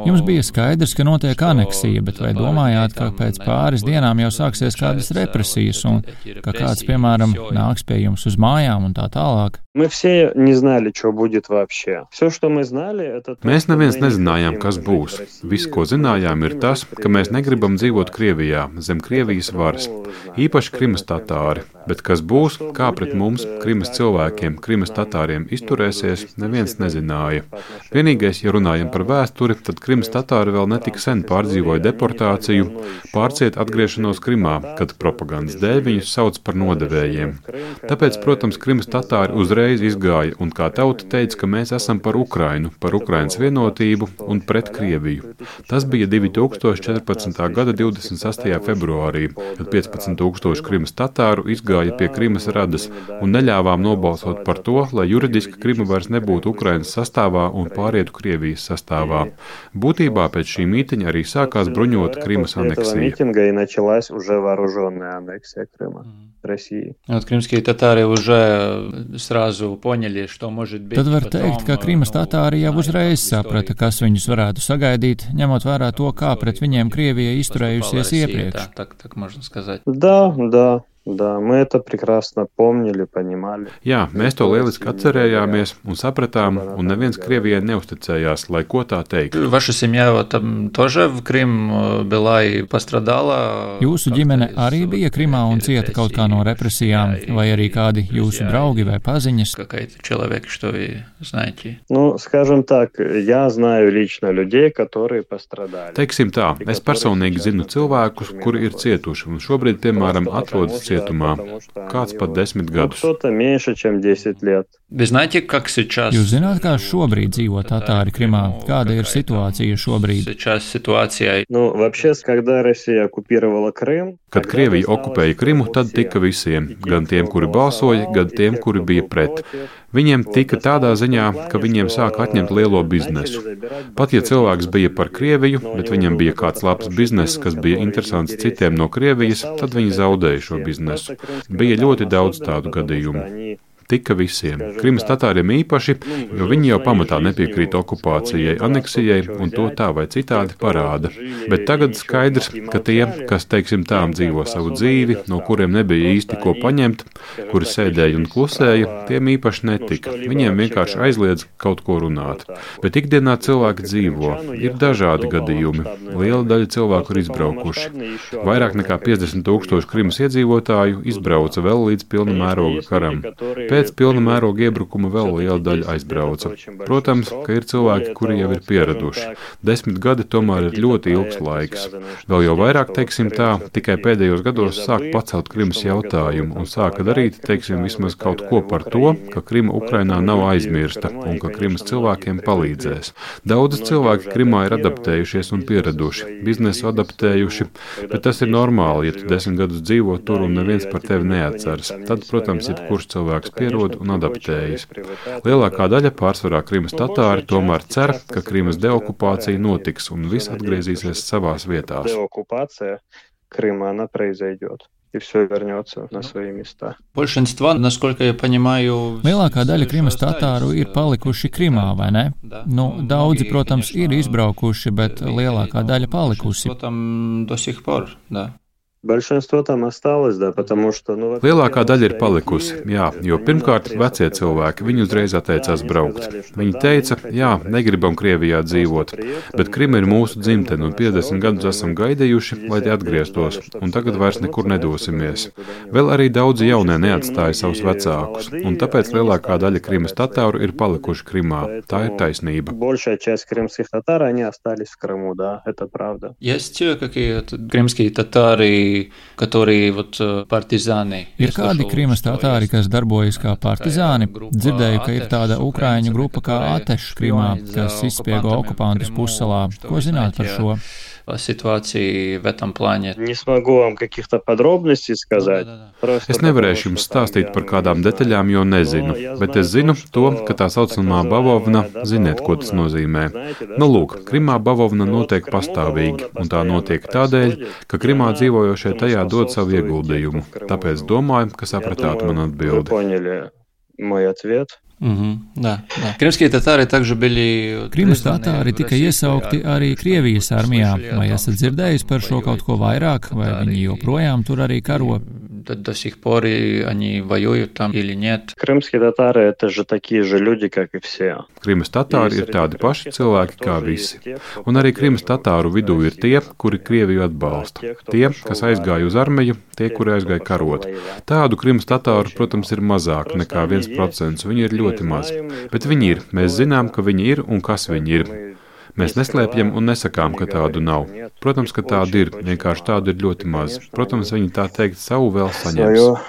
Jums bija skaidrs, ka notiek aneksija, bet vai domājāt, ka pēc pāris dienām jau sāksies kādas represijas un ka kāds, piemēram, nāks pie jums uz mājām un tā tālāk? Mēs neviens nezinājām, kas būs. Viss, ko zinājām, ir tas, ka mēs negribam dzīvot Krievijā, zem Krievijas varas. Īpaši Krimas tatāri. Bet kas būs, kā pret mums, Krimas cilvēkiem, Krimas tatāriem izturēsies, neviens nezināja. Vienīgais, ja runājam par vēsturi, tad Krimas tatāri vēl netik sen pārdzīvoja deportāciju, pārciet atgriešanos Krimā, kad propagandas dēļ viņus sauc par nodevējiem. Tāpēc, protams, Krimas tatāri uzreiz izgāja un kā tauta teica, ka mēs esam par Ukrainu, par Ukrainas vienotību un pret Krieviju. Tas bija 2014. gada 28. februārī, kad 15,000 Krimas tatāru izgāja pie Krimas radas un neļāvām nobalsot par to, lai juridiski Krima vairs nebūtu Ukrainas sastāvā un pārietu Krievijas sastāvā. Būtībā pēc šī mītiņa arī sākās bruņota Krimas aneksija. Tad var teikt, ka Krimas tatāri jau uzreiz saprata, kas viņus varētu sagaidīt, ņemot vērā to, kā pret viņiem Krievija izturējusies iepriekš. Да, мы это прекрасно помнили, понимали. Jā, mēs to lieliski atcerējāmies un sapratām, un neviens Krievijai neusticējās, lai ko tā teiktu. Jūsu ģimene arī bija Krimā un cieta kaut kā no represijām, vai arī kādi jūsu draugi vai paziņas? Ну, скажем так, я знаю лично людей, которые пострадали. Teiksim tā, es personīgi zinu cilvēkus, kuri ir cietuši un šobrīd, piemēram, atrodas cietumā. Kāds pat 10 gadus. Jūs zināt, kā šobrīd dzīvo tatāri Krimā? Kāda ir situācija šobrīd? Kad Krievija okupēja Krimu, tad tika visiem, gan tiem, kuri balsoja, gan tiem, kuri bija pret. Viņiem tika tādā ziņā, ka viņiem sāka atņemt lielo biznesu. Pat ja cilvēks bija par Krieviju, bet viņam bija kāds labs bizness, kas bija interesants citiem no Krievijas, tad viņi zaudēja šo biznesu. Bija ļoti daudz tādu gadījumu. tika visiem. Krimas tatāriem īpaši, jo viņi jau pamatā nepiekrīt okupācijai, aneksijai un to tā vai citādi parāda. Bet tagad skaidrs, ka tie, kas, teiksim tā, dzīvo savu dzīvi, no kuriem nebija īsti ko paņemt, kuri sēdēja un klusēja, tiem īpaši netika. Viņiem vienkārši aizliedz kaut ko runāt. Bet ikdienā cilvēki dzīvo. Ir dažādi gadījumi. Liela daļa cilvēku ir izbraukuši. Vairāk nekā 50,000 Krimas iedzīvotāju izbrauca vēl līdz pilna mēroga karam. Pēc pilna mēroga iebrukuma vēl liela daļa aizbrauca. Protams, ka ir cilvēki, kuri jau ir pieraduši. 10 gadi tomēr ir ļoti ilgs laiks. Vēl jau vairāk, teiksim tā, tikai pēdējos gados sāk pacelt Krimas jautājumu un sāka darīt, teiksim, vismaz kaut ko par to, ka Krima Ukrainā nav aizmirsta un ka Krimas cilvēkiem palīdzēs. Daudz cilvēki Krimā ir adaptējušies un pieraduši, biznesu adaptējuši, bet tas ir normāli, ja tu 10 gadus dzīvo tur un neviens par tevi neatceras. Tad, protams, jebkurš cilvēks pierod un adaptējas. Lielākā daļa, pārsvarā Krimas tatāri, tomēr cer, ka Krimas deokupācija notiks un viss atgriezīsies savās vietās. Крыма, она произойдет. И все вернется на свои места. Большинство, насколько я понимаю... Lielākā daļa Krimas tatāru ir palikuši Krimā, vai ne? Daudzi, protams, ir izbraukuši, bet lielākā daļa palikusi. Там до сих пор, да. Большинство там осталось, да, потому что... Lielākā daļa ir palikusi, jā, jo pirmkārt vecie cilvēki, viņi uzreiz atteicās braukt. Viņi teica, jā, negribam Krievijā dzīvot, bet Krima ir mūsu dzimtene un 50 gadus esam gaidījuši, lai tie atgrieztos, un tagad vairs nekur nedosimies. Vēl arī daudzi jaunie neatstāja savus vecākus, un tāpēc lielākā daļa Krimas tatāru ir palikuši Krimā. Tā ir taisnība. Большая часть крымских татар, они остались в Крыму, да, это правда. Есть какие-то крымские татары, которые вот партизāni. Ir kādi Krimas tatāri, kas darbojas kā partizāni? Dzirdēju, ka ir tāda ukraiņu grupa kā Ateš Krimā, kas izspiego okupantus pussalā. Ko zināt par šo? Ситуации в этом плане. Не смогу вам каких-то подробностей сказать. Es nevarēšu jums stāstīt par kādām detaļām, jo nezinu, bet es zinu to, ka tā saucamā bavovna, ziniet, ko tas nozīmē. Nu, lūk, Krimā bavovna notiek pastāvīgi, un tā notiek tādēļ, ka Krimā dzīvojošie tajā dod savu ieguldījumu. Tāpēc domāju, ka sapratāt man atbildi. Да. Крымские татары также были... Krimas tatāri tika iesaukti arī Krievijas armijā. Vai esat dzirdējis par šo kaut ko vairāk, vai viņi joprojām tur arī karo? До сих пор они воюют там или нет. Крымские татары – это же такие же люди, как и все. Krimas tatāri ir tādi paši cilvēki kā visi. Un arī Krimas tatāru vidū ir tie, kuri Krieviju atbalsta. Tie, kas aizgāja uz armiju, tie, kuri aizgāja karot. Tādu Krimas tatāru, protams, ir mazāk nekā 1%. Viņi ir ļoti maz. Bet viņi ir. Mēs zinām, ka viņi ir un kas viņi ir. Mēs neslēpjam un nesakām, ka tādu nav. Protams, ka tādu ir, vienkārši tādu ir ļoti maz. Protams, viņi tā teikt savu vēl saņems.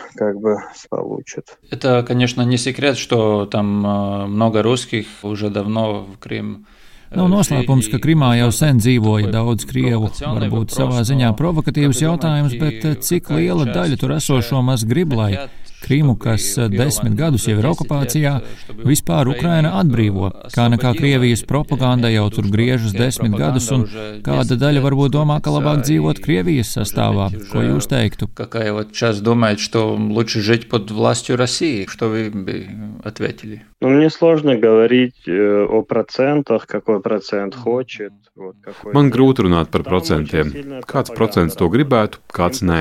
Это, конечно, не секрет, что там много русских уже давно в Крым. Nav noslēpums, ka Krimā jau sen dzīvoja daudz krievu. Varbūt savā ziņā provokatīvs jautājums, bet cik liela daļa tur esošo maz grib, lai Krimu, kas 10 gadus jau ir okupācijā, vispār Ukraina atbrīvo. Kā nekā Krievijas propaganda jau tur griežas 10 gadus, un kāda daļa varbūt domā, ka labāk dzīvot Krievijas sastāvā. Ko jūs teiktu? Какая вот сейчас думает, что лучше жить под властью России? Что вы бы ответили? Ну, мне сложно говорить о процентах, какой процент хочет. Man grūti runāt par procentiem. Kāds procents to gribētu, kāds nē.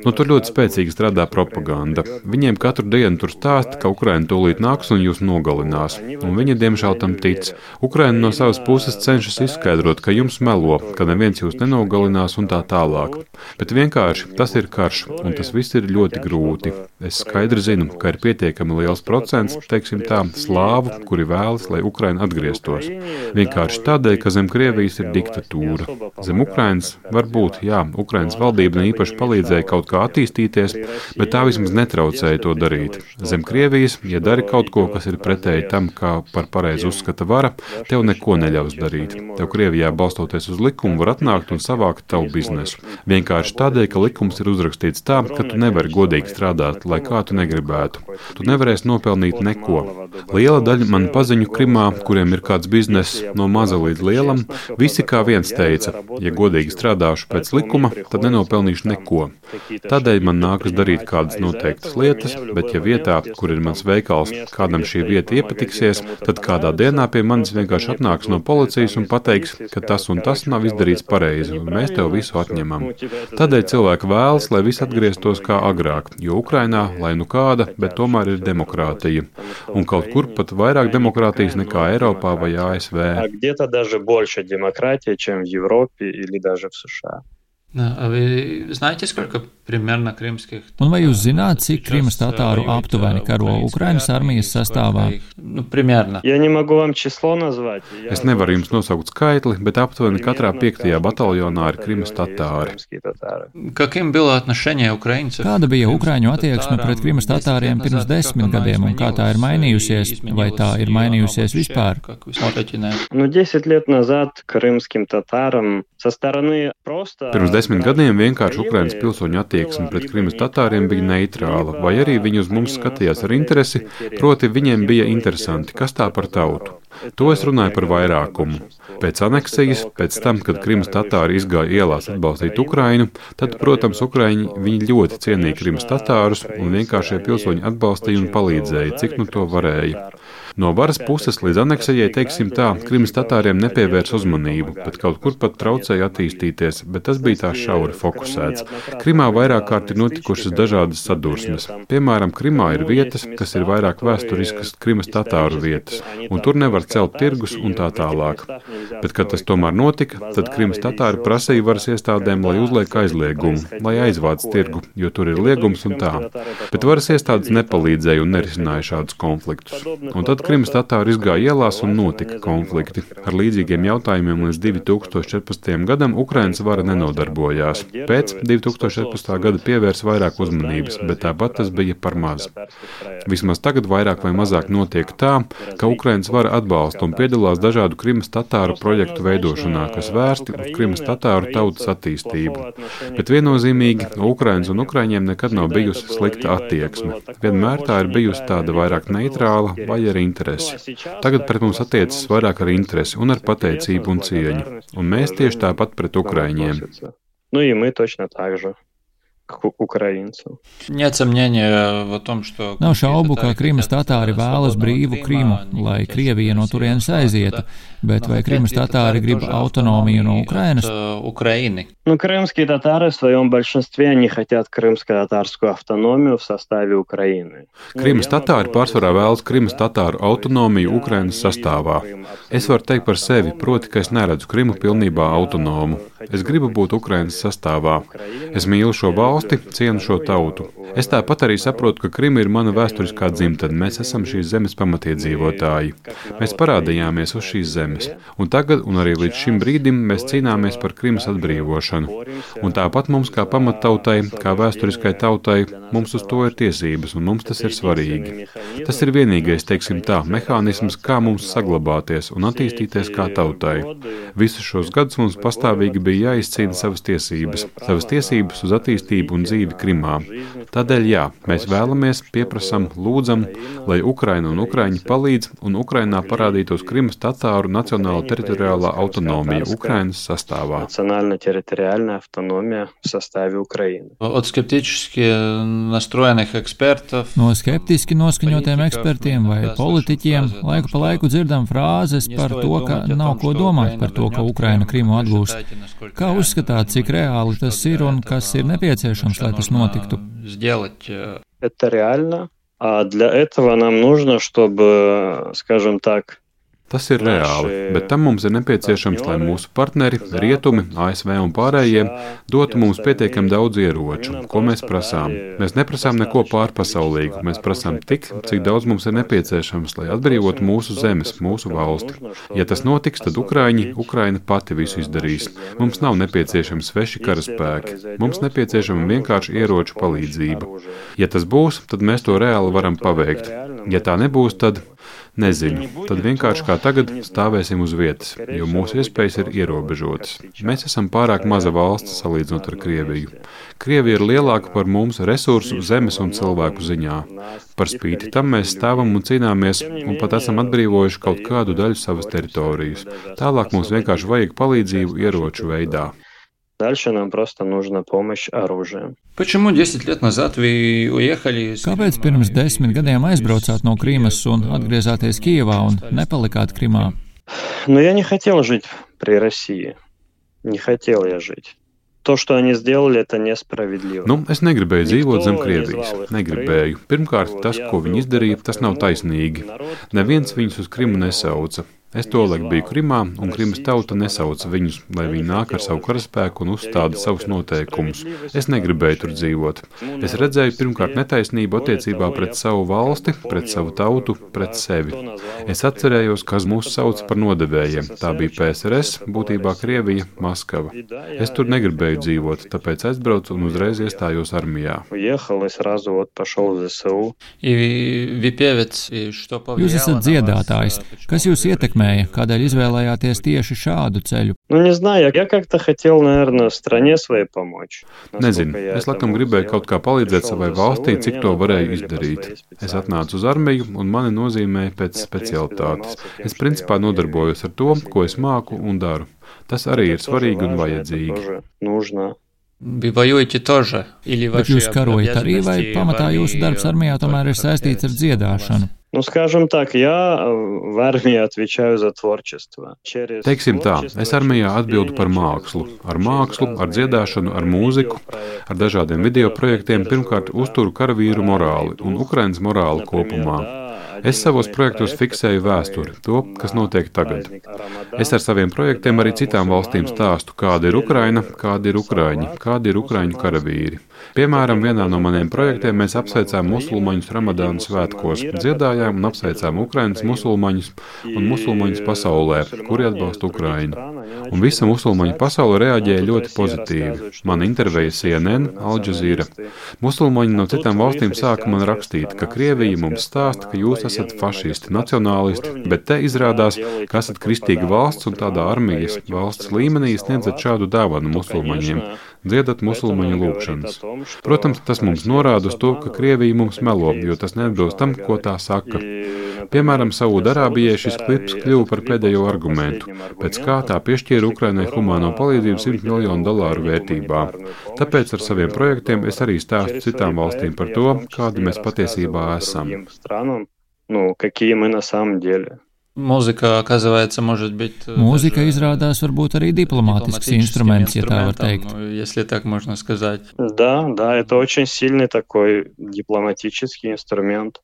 Nu, tur ļoti spēcīgi strādā propaganda. Viņiem katru dienu tur stāsta, ka Ukraina tūlīt nāks un jūs nogalinās. Un viņi diemžēl tam tic. Ukraina no savas puses cenšas izskaidrot, ka jums melo, ka neviens jūs nenogalinās un tā tālāk. Bet vienkārši tas ir karš, un tas viss ir ļoti grūti. Es skaidri zinu, ka ir pietiekami liels procents, teiksim tā, slāvu, kuri vēlas, lai Ukraina atgrieztos. Vienkārši tādēļ, ka zem Krievijas ir diktatūra. Zem Ukrainas varbūt, jā, Ukrainas valdība īpaši palīdzēja kaut kā attīstīties, bet tā vismaz netraucēja to darīt. Zem Krievijas, ja dari kaut ko, kas ir pretēji tam, kā par pareizi uzskata vara, tev neko neļaus darīt. Tev Krievijā balstoties uz likumu var atnākt un savākt tavu biznesu. Vienkārši tādēļ, ka likums ir uzrakstīts tā, ka tu nevari godīgi strādāt, lai kā tu negribētu. Tu nevarēsi nopelnīt neko. Liela daļa man paziņu Krimā, kuriem ir kāds bizness no maza līdz lielam, visi kā viens teica, ja godīgi strādāšu pēc likuma, tad nenopelnīšu neko. Tādēļ man nākas darīt kādas noteiktas lietas, lietas, bet ja vietā, kur ir mans veikals, kādam šī vieta iepatiksies, tad kādā dienā pie manis vienkārši atnāks no policijas un pateiks, ka tas un tas nav izdarīts pareizi, un mēs tev visu atņemam. Tādēļ cilvēki vēlas, lai viss atgrieztos kā agrāk, jo Ukrainā, lai nu kāda, bet tomēr ir demokrātija. Un kaut kur pat vairāk demokrātijas nekā Eiropā vai ASV. Un vai jūs zināt, cik Krimas tatāru aptuveni karo Ukrainas armijas sastāvā? Es nevaru jums nosaukt skaitli, bet aptuveni katrā 5. bataljonā ir Krimas tatāri. Kāda bija Ukraiņu attieksme pret Krimas tatāriem pirms 10 gadiem un kā tā ir mainījusies, vai tā ir mainījusies vispār? 10 лет назад крымским татарам со стороны просто... Pirms 10 gadiem vienkārši Ukrainas pilsoņu attieksme pret Krimas tatāriem bija neitrāla, vai arī viņi uz mums skatījās ar interesi, proti viņiem bija interesanti, kas tā par tautu. To es runāju par vairākumu. Pēc aneksijas, pēc tam, kad Krimas tatāri izgāja ielās atbalstīt Ukrainu, tad, protams, Ukraiņi viņi ļoti cienīja Krimas tatārus un vienkāršie pilsoņi atbalstīja un palīdzēja, cik nu to varēja. No varas puses līdz aneksijai, teiksim tā, Krimas tatāriem nepievērs uzmanību, bet kaut kur pat traucēja attīstīties, bet tas bija tā šauri fokusēts. Krimā vairāk kārt ir notikušas dažādas sadursmes. Piemēram, Krimā ir vietas, kas ir vairāk vēsturiskas Krimas tatāru vietas, un tur nevar celt tirgus un tā tālāk. Bet, kad tas tomēr notika, tad Krimas tatāri prasīja varas iestādēm, lai uzliek aizliegumu, lai aizvāc tirgu, jo tur ir liegums un tā. Bet varas iestādes nepalīdzēja un nerisināja šādus konfliktus. Un tad Krimas tatāri izgāja ielās un notika konflikti. Ar līdzīgiem jautājumiem līdz 2014. gadam Ukrainas vara nenodarbojās. Pēc 2014. gada pievērsa vairāk uzmanības, bet tāpat tas bija par maz. Vismaz tagad vairāk vai mazāk notiek tā, ka Ukrainas vara atbalsta un piedalās dažādu Krimas tatāru projektu veidošanā, kas vērsti uz Krimas tatāru tautas attīstību. Bet viennozīmīgi Ukrainas un Ukraiņiem nekad nav bijusi slikta attieksme. Vienmēr tā ir bijusi tāda vairāk neitrāla vai ar interesi. Tagad pret mums attiecas vairāk ar interesi un ar pateicību un cieņu. Un mēs tieši tāpat pret Ukraiņiem. Nav šaubu, ka Krimas tatāri vēlas brīvu Krimu, lai Krievija no turienes aizietu, bet vai Krimas tatāri grib autonomiju no Ukrainas? Крымские татары в своем большинстве не хотят крымско-татарскую автономию в составе Украины. Krimas tatāri pārsvarā vēlas Krimas tatāru autonomiju Ukrainas sastāvā. Es varu teikt par sevi, proti, ka es neredzu Krimu pilnībā autonomu. Es gribu būt Ukrainas sastāvā. Es mīlu šo valsti, cienu šo tautu. Es tāpat arī saprotu, ka Krima ir mana vēsturiskā dzimtene. Mēs esam šīs zemes pamatiedzīvotāji. Mēs parādījāmies uz šīs zemes. Un tagad, un arī līdz šim brīdim, mēs cīnāmies par Krimas atbrīvošanu. Un tāpat mums kā pamattautai, kā vēsturiskai tautai, mums uz to ir tiesības, un mums tas ir svarīgi. Tas ir vienīgais, teiksim tā, mehānisms, kā mums saglabāties un attīstīties kā tautai. Visus šos gadus mums pastāvīgi bija jāizcīna savas tiesības uz attīstību un dzīvi Krimā. Tādēļ jā, mēs vēlamies, pieprasam, lūdzam, lai Ukraina un Ukraiņi palīdz un Ukrainā parādītos Krimas tatāru nacionāla teritoriālā autonomija Ukrainas sastāvā. No skeptiski noskaņotiem ekspertiem vai politiķiem laiku pa laiku dzirdam frāzes par to, ka nav ko domāt par to, ka Ukraina Krimu atgūs. Kā uzskatāt, cik reāli tas ir un kas ir nepieciešams, lai tas notiktu? Это реально. А для этого нам нужно, чтобы, скажем так, Tas ir reāli, bet tam mums ir nepieciešams, lai mūsu partneri, Rietumi, ASV un pārējie dotu mums pietiekami daudz ieroču, ko mēs prasām. Mēs neprasām neko pārpasaulīgu, mēs prasām tik, cik daudz mums ir nepieciešams, lai atbrīvotu mūsu zemes, mūsu valsti. Ja tas notiks, tad Ukraina pati visu izdarīs. Mums nav nepieciešami sveši karaspēki, mums nepieciešama vienkārši ieroču palīdzība. Ja tas būs, tad mēs to reāli varam paveikt. Ja tā nebūs, tad nezinu, tad vienkārši kā tagad stāvēsim uz vietas, jo mūsu iespējas ir ierobežotas. Mēs esam pārāk maza valsts salīdzinot ar Krieviju. Krievija ir lielāka par mums resursu, zemes un cilvēku ziņā. Par spīti tam mēs stāvam un cīnāmies un pat esam atbrīvojuši kaut kādu daļu savas teritorijas. Tālāk mums vienkārši vajag palīdzību ieroču veidā. Дальше нам просто нужна помощь оружием. Почему 10 лет назад вы уехали? Kāpēc pirms 10 gadiem aizbraucāt no Krīmas un atgriezāties Kijevā un nepalikāt Krimā? Но я не хотел жить при России. Не хотел я жить. To, что они сделали, это несправедливо. Es negribēju dzīvot zem Krievijas. Negribēju. Pirmkārt, tas, ko viņi izdarīja, tas nav taisnīgi. Neviens viņus uz Krimu nesauca. Es tolaik biju Krimā, un Krimas tauta nesauca viņus, lai viņi nāk ar savu karaspēku un uzstāda savus noteikumus. Es negribēju tur dzīvot. Es redzēju pirmkārt netaisnību attiecībā pret savu valsti, pret savu tautu, pret sevi. Es atcerējos, kas mūs sauca par nodevējiem. Tā bija PSRS, būtībā Krievija, Maskava. Es tur negribēju dzīvot, tāpēc aizbraucu un uzreiz iestājos armijā. Jūs esat dziedātājs. Kas jūs ietekmē? Kādēļ izvēlējāties tieši šādu ceļu? Nezinu, es laikam gribēju kaut kā palīdzēt savai valstī, cik to varēju izdarīt. Es atnācu uz armiju un mani nozīmēja pēc specialitātes. Es principā nodarbojos ar to, ko es māku un daru. Tas arī ir svarīgi un vajadzīgi. Bet jūs karojat arī, vai pamatā jūsu darbs armijā tomēr ir saistīts ar dziedāšanu? Скажем так, я в армии отвечаю за творчество. Teiksim tā, es armijā atbildu par mākslu. Ar mākslu, ar dziedāšanu, ar mūziku, ar dažādiem video projektiem pirmkārt uzturu karavīru morāli un Ukrainas morāli kopumā. Es savos projektos fiksēju vēsturi, to, kas notiek tagad. Es ar saviem projektiem arī citām valstīm stāstu, kāda ir Ukraina, kādi ir Ukraiņi, kādi ir Ukraiņu karavīri. Piemēram, vienā no maniem projektiem mēs apsveicām musulmaņus Ramadāna svētkos, dziedājām un apsveicām Ukrainas musulmaņus un musulmaņus pasaulē, kuri atbalsta Ukrainu. Un visa musulmaņu pasaule reaģēja ļoti pozitīvi. Man intervēja CNN, Al Jazeera. Musulmaņi no citām valstīm sāka man rakstīt, ka Krievija mums stāsta, ka jūs esat fašisti, nacionālisti, bet te izrādās, ka esat kristīga valsts un tādā armijas valsts līmenī sniedzat šādu dāvanu musulmaņiem. Dziedat musulmaņu lūgšanas. Protams, tas mums norāda uz to, ka Krievija mums melo, jo tas neatbilst tam, ko tā saka. Piemēram, Saūdarābijai šis klips kļuva par pēdējo argumentu, pēc kā tā piešķīra Ukrainai humāno palīdzību $100 miljonu vērtībā. Tāpēc ar saviem projektiem es arī stāstu citām valstīm par to, kādi mēs patiesībā esam. Какие мы на самом деле. Mūzika, оказывается, может быть... Mūzika izrādās varbūt arī diplomātisks instruments, ja tā var teikt. Если так можно сказать. Да, это очень сильный такой дипломатический инструмент.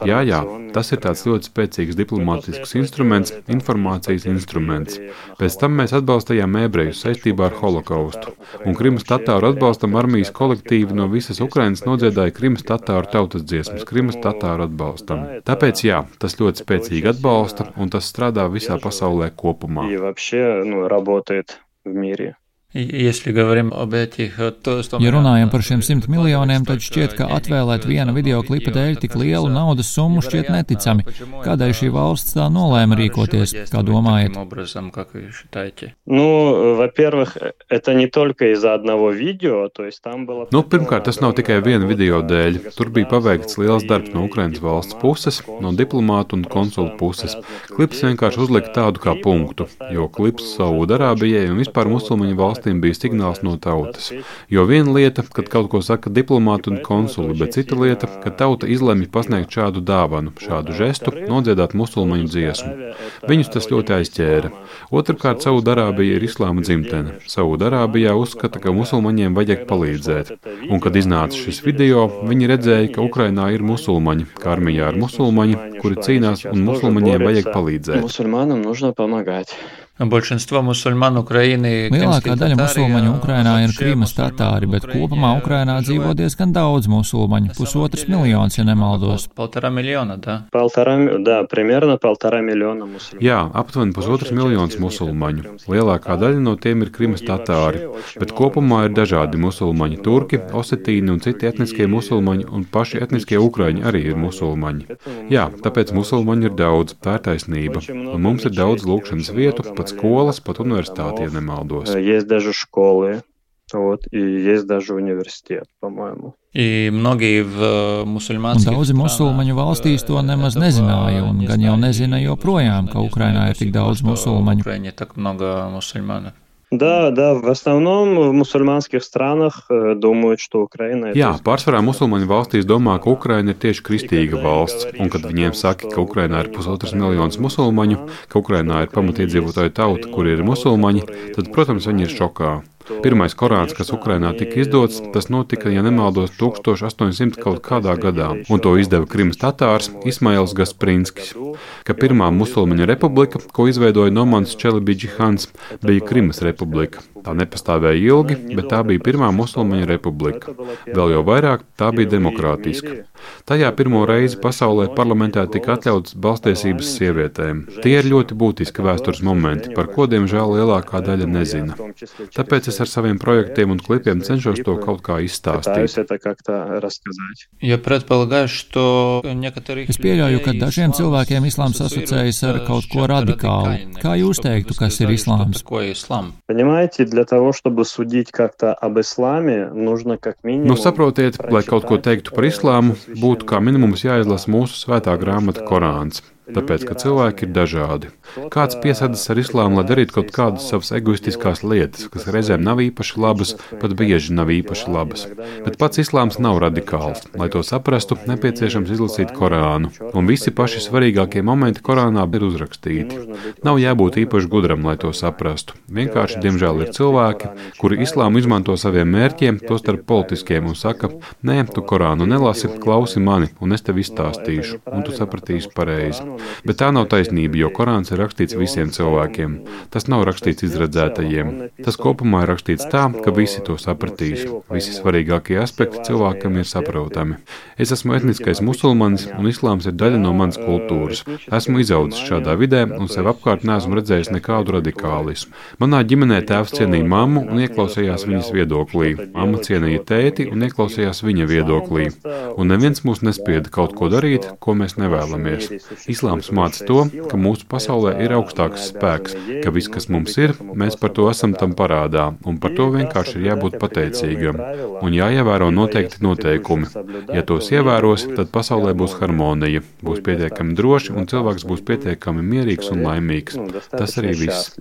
Jā, tas ir tāds ļoti spēcīgs diplomātisks instruments, informācijas instruments. Pēc tam mēs atbalstījām ebrejus saistībā ar holokaustu, un Krimas tatāru atbalstam armijas kolektīvi no visas Ukrainas nodziedāja Krimas tatāru tautas dziesmas, Krimas tatāru atbalstam. Tāpēc jā, tas ļoti spēcīgi atbalsta, un tas strādā visā pasaulē kopumā. Ja runājam par šiem 100 miljoniem, tad šķiet, ka atvēlēt viena videoklipa dēļ tik lielu naudas summu šķiet neticami. Kādēļ šī valsts tā nolēma rīkoties, kā domājat? Pirmkārt, tas nav tikai viena video dēļ. Tur bija paveikts liels darbs no Ukrainas valsts puses, no diplomātu un konsulu puses. Klips vienkārši uzlika tādu kā punktu, jo klips Saūdarābijai un vispār musulmaņu valsts bija signāls no tautas. Jo viena lieta, kad kaut ko saka diplomāti un konsuli, bet cita lieta, kad tauta izlemj pasniegt šādu dāvanu, šādu žestu, nodziedāt musulmaņu dziesmu. Viņus tas ļoti aizķēra. Otrkārt, Saūdarābija ir islāma dzimtene. Saūdarābijā uzskata, ka musulmaņiem vajag palīdzēt. Un, kad iznāca šis video, viņi redzēja, ka Ukrainā ir musulmaņi, ka armijā ir musulmaņi, kuri cīnās un musulmaņiem vajag palīdzēt. Musulmaņiem нужно помогать. Lielākā daļa musulmaņu Ukrainā ir Krimas tatāri, bet kopumā Ukrainā dzīvo diezgan daudz musulmaņu, 1,5 miljons, ja nemaldos. Jā, aptuveni 1,5 miljonus musulmaņu. Lielākā daļa no tiem ir Krimas tatāri, bet kopumā ir dažādi musulmaņi, turki, osetīni un citi etniskie musulmaņi, un paši etniskie ukraiņi arī ir musulmaņi. Jā, tāpēc musulmaņi ir daudz, tā ir taisnība, un mums ir daudz lūgšanas vietu, pat skolas, pat universitāti, ja nemaldos. Есть даже школы, и есть даже университет, по-моему. Daudzi musulmaņu valstīs to nemaz nezināja, un gan jau nezina joprojām, ka Ukrainā ir tik daudz musulmaņu. Да, в основном в мусульманских странах думают, что Украина... Jā, pārsvarā musulmaņu valstīs domā, ka Ukraina ir tieši kristīga valsts, un kad viņiem saka, ka Ukrainā ir 1,5 miljonus musulmaņu, ka Ukrainā ir pamatiedzīvotāju tauta, kuri ir musulmaņi, tad, protams, viņi ir šokā. Pirmais Korāns, kas Ukrainā tika izdots, tas notika, ja nemaldos, 1800 kaut kādā gadā, un to izdeva Krimas tatārs Ismails Gasprinskis, ka pirmā musulmaņu republika, ko izveidoja Nomans Čelibidži-Hans, bija Krimas republika. Tā nepastāvēja ilgi, bet tā bija pirmā musulmaņu republika. Vēl jau vairāk tā bija demokrātiska. Tajā pirmo reizi pasaulē parlamentā tika atļautas balstiesības sievietēm. Tie ir ļoti būtiski vēstures momenti, par ko, diemžēl, lielākā daļa nezina. Tāpēc es ar saviem projektiem un klipiem cenšos to kaut kā izstāstīt. Es pieļauju, ka dažiem cilvēkiem islāms asociējas ar kaut ko radikālu. Kā jūs teiktu, kas ir islāms? Для того, чтобы судить как-то об исламе, нужно как минимум... Saprotiet, lai kaut ko teiktu par islāmu, būtu kā minimums jāizlasa mūsu svētā grāmata Korāns. Tāpēc, ka cilvēki ir dažādi. Kāds piesadas ar islāmu, lai darītu kaut kādas savas egoistiskās lietas, kas reizēm nav īpaši labas, pat bieži nav īpaši labas. Bet pats islāms nav radikāls. Lai to saprastu, nepieciešams izlasīt Korānu. Un visi paši svarīgākie momenti Korānā ir uzrakstīti. Nav jābūt īpaši gudram, lai to saprastu. Vienkārši, diemžēl, ir cilvēki, kuri islāmu izmanto saviem mērķiem, tostarp politiskiem, un saka, nē, tu Korānu nelasi, klausi mani, un es tev izstāstīšu, un tu sapratīsi pareizi. Bet tā nav taisnība, jo Korāns ir rakstīts visiem cilvēkiem. Tas nav rakstīts izredzētajiem. Tas kopumā ir rakstīts tā, ka visi to sapratīs. Visi svarīgākie aspekti cilvēkam ir saprotami. Es esmu etniskais musulmanis, un islāms ir daļa no manas kultūras. Esmu izaudzis šādā vidē, un sev apkārt neesmu redzējis nekādu radikālismu. Manā ģimenē tēvs cienīja mammu un ieklausījās viņas viedoklī. Mamma cienīja tēti un ieklausījās viņa viedoklī. Un neviens mūs nespieda kaut ko darīt, ko mēs nevēlamies. Islāms māca to, ka mūsu pasaulē ir augstāks spēks, ka viss, kas mums ir, mēs par to esam tam parādā, un par to vienkārši ir jābūt pateicīgam. Un jāievēro noteikti noteikumi. Ja tos ievēros, tad pasaulē būs harmonija, būs pietiekami droši, un cilvēks būs pietiekami mierīgs un laimīgs. Tas arī viss.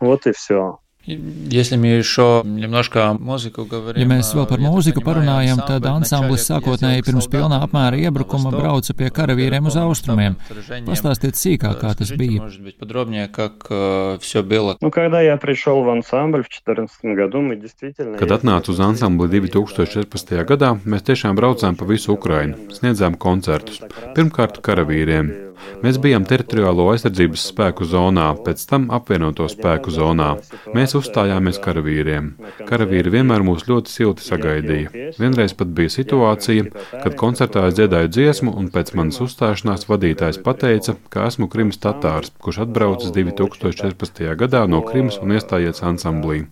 Вот и все. Ja mēs vēl par mūziku parunājam, tad ansamblis sākotnēji pirms pilnā apmēra iebrukuma brauca pie karavīriem uz austrumiem. Pastāstiet sīkāk, kā tas bija. Kad atnācu uz ansambli 2014. gadā, mēs tiešām braucām pa visu Ukrainu, sniedzām koncertus. Pirmkārt karavīriem. Mēs bijām teritoriālo aizsardzības spēku zonā, pēc tam apvienoto spēku zonā. Mēs uzstājāmies karavīriem. Karavīri vienmēr mūs ļoti silti sagaidīja. Vienreiz pat bija situācija, kad koncertā es dziedāju dziesmu, un pēc manas uzstāšanās vadītājs pateica, ka esmu Krimas tatārs, kurš atbraucis 2014. gadā no Krimas un iestājies ansamblī.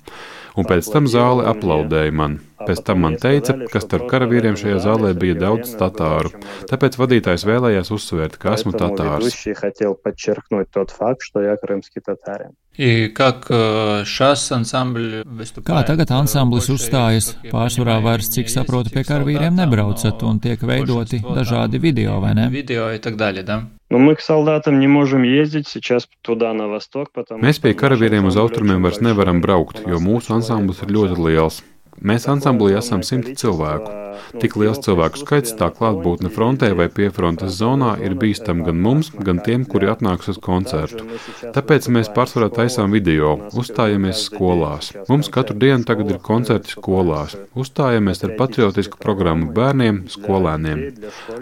Un pēc tam zāle aplaudēja man. Pēc tam man teica, ka starp karavīriem šajā zālē bija daudz tatāru. Tāpēc vadītājs vēlējās uzsvērt, ka esmu tatārs. Kā tagad ansamblis uzstājas? Pārsvarā vairs, cik saprotu, pie karavīriem nebraucat un tiek veidoti dažādi video, vai ne? Mēs pie karavīriem uz austrumiem vairs nevaram braukt, jo mūsu ansamblis ir ļoti liels. Mēs ansamblī esam 100 cilvēku. Tik liels cilvēku skaits, tā klātbūtne frontē vai piefrontes zonā ir bīstam gan mums, gan tiem, kuri atnāks uz koncertu. Tāpēc mēs pārsvarā taisām video, uzstājamies skolās. Mums katru dienu tagad ir koncerti skolās. Uzstājamies ar patriotisku programmu bērniem, skolēniem,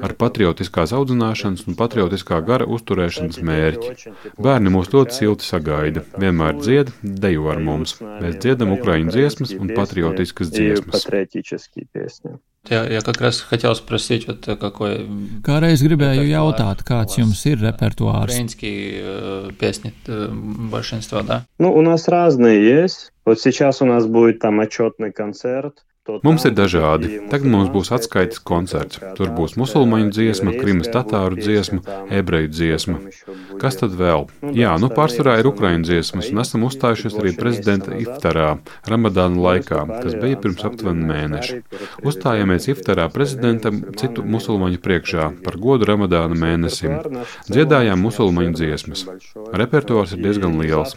ar patriotiskās audzināšanas un patriotiskā gara uzturēšanas mērķi. Bērni mūs ļoti silti sagaida, vienmēr dzied, dejo ar mums. Mēs dziedam ukraiņu dziesmas un patriotiskas патриотические песни. Я как раз хотел спросить, вот какой... Kādreiz gribēju jautāt, kāds jums ir repertuārs? Украинские песни большинство, да? У нас разные есть. Вот сейчас у нас будет там отчетный концерт. Mums ir dažādi. Tagad mums būs atskaites koncerts. Tur būs musulmaņu dziesma, Krimas tatāru dziesma, ebreju dziesma. Kas tad vēl? Jā, pārsvarā ir ukraiņu dziesmas, un esam uzstājušies arī prezidenta iftarā, Ramadāna laikā, kas bija pirms aptuveni mēneša. Uzstājāmies iftarā prezidentam citu musulmaņu priekšā par godu Ramadāna mēnesim. Dziedājām musulmaņu dziesmas. Repertuārs ir diezgan liels,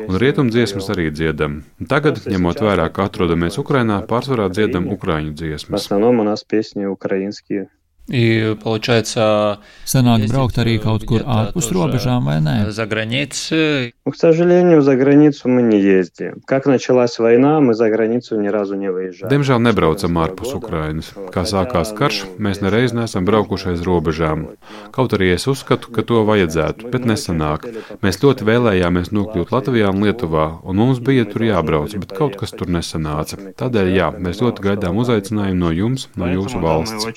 un rietumdziesmas arī dziedam. Tagad, ņemot vērā, ka atrodamies Ukrainā, pārsvarā dziedam ukraiņu dziesmas. В основном у нас песни украинские. И, получается, sanāk braukt arī kaut kur ārpus robežām, vai ne? За границей. К сожалению, за границу мы не ездим. Как началась война, мы за границу ни разу не выезжали. Diemžēl nebraucam ārpus Ukrainas. Kā sākās karš, mēs nereiz neesam braukuši aiz robežām. Kaut arī es uzskatu, ka to vajadzētu, bet nesanāk. Mēs ļoti vēlējāmies nokļūt Latvijā un Lietuvā, un mums bija tur jābrauc, bet kaut kas tur nesanāca. Tādēļ, jā, mēs ļoti gaidām uzaicinājumu no jums, no jūsu valsts.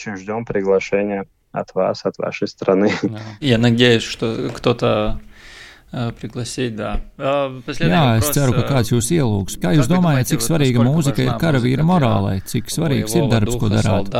Приглашение от вас, от вашей страны. Я надеюсь, что кто-то пригласить, да. Jā, es ceru, ka kāds jūs ielūgs. Kā jūs domājat, cik svarīga mūzika ir karavīra morālai? Cik svarīgs ir darbs, ko darāt?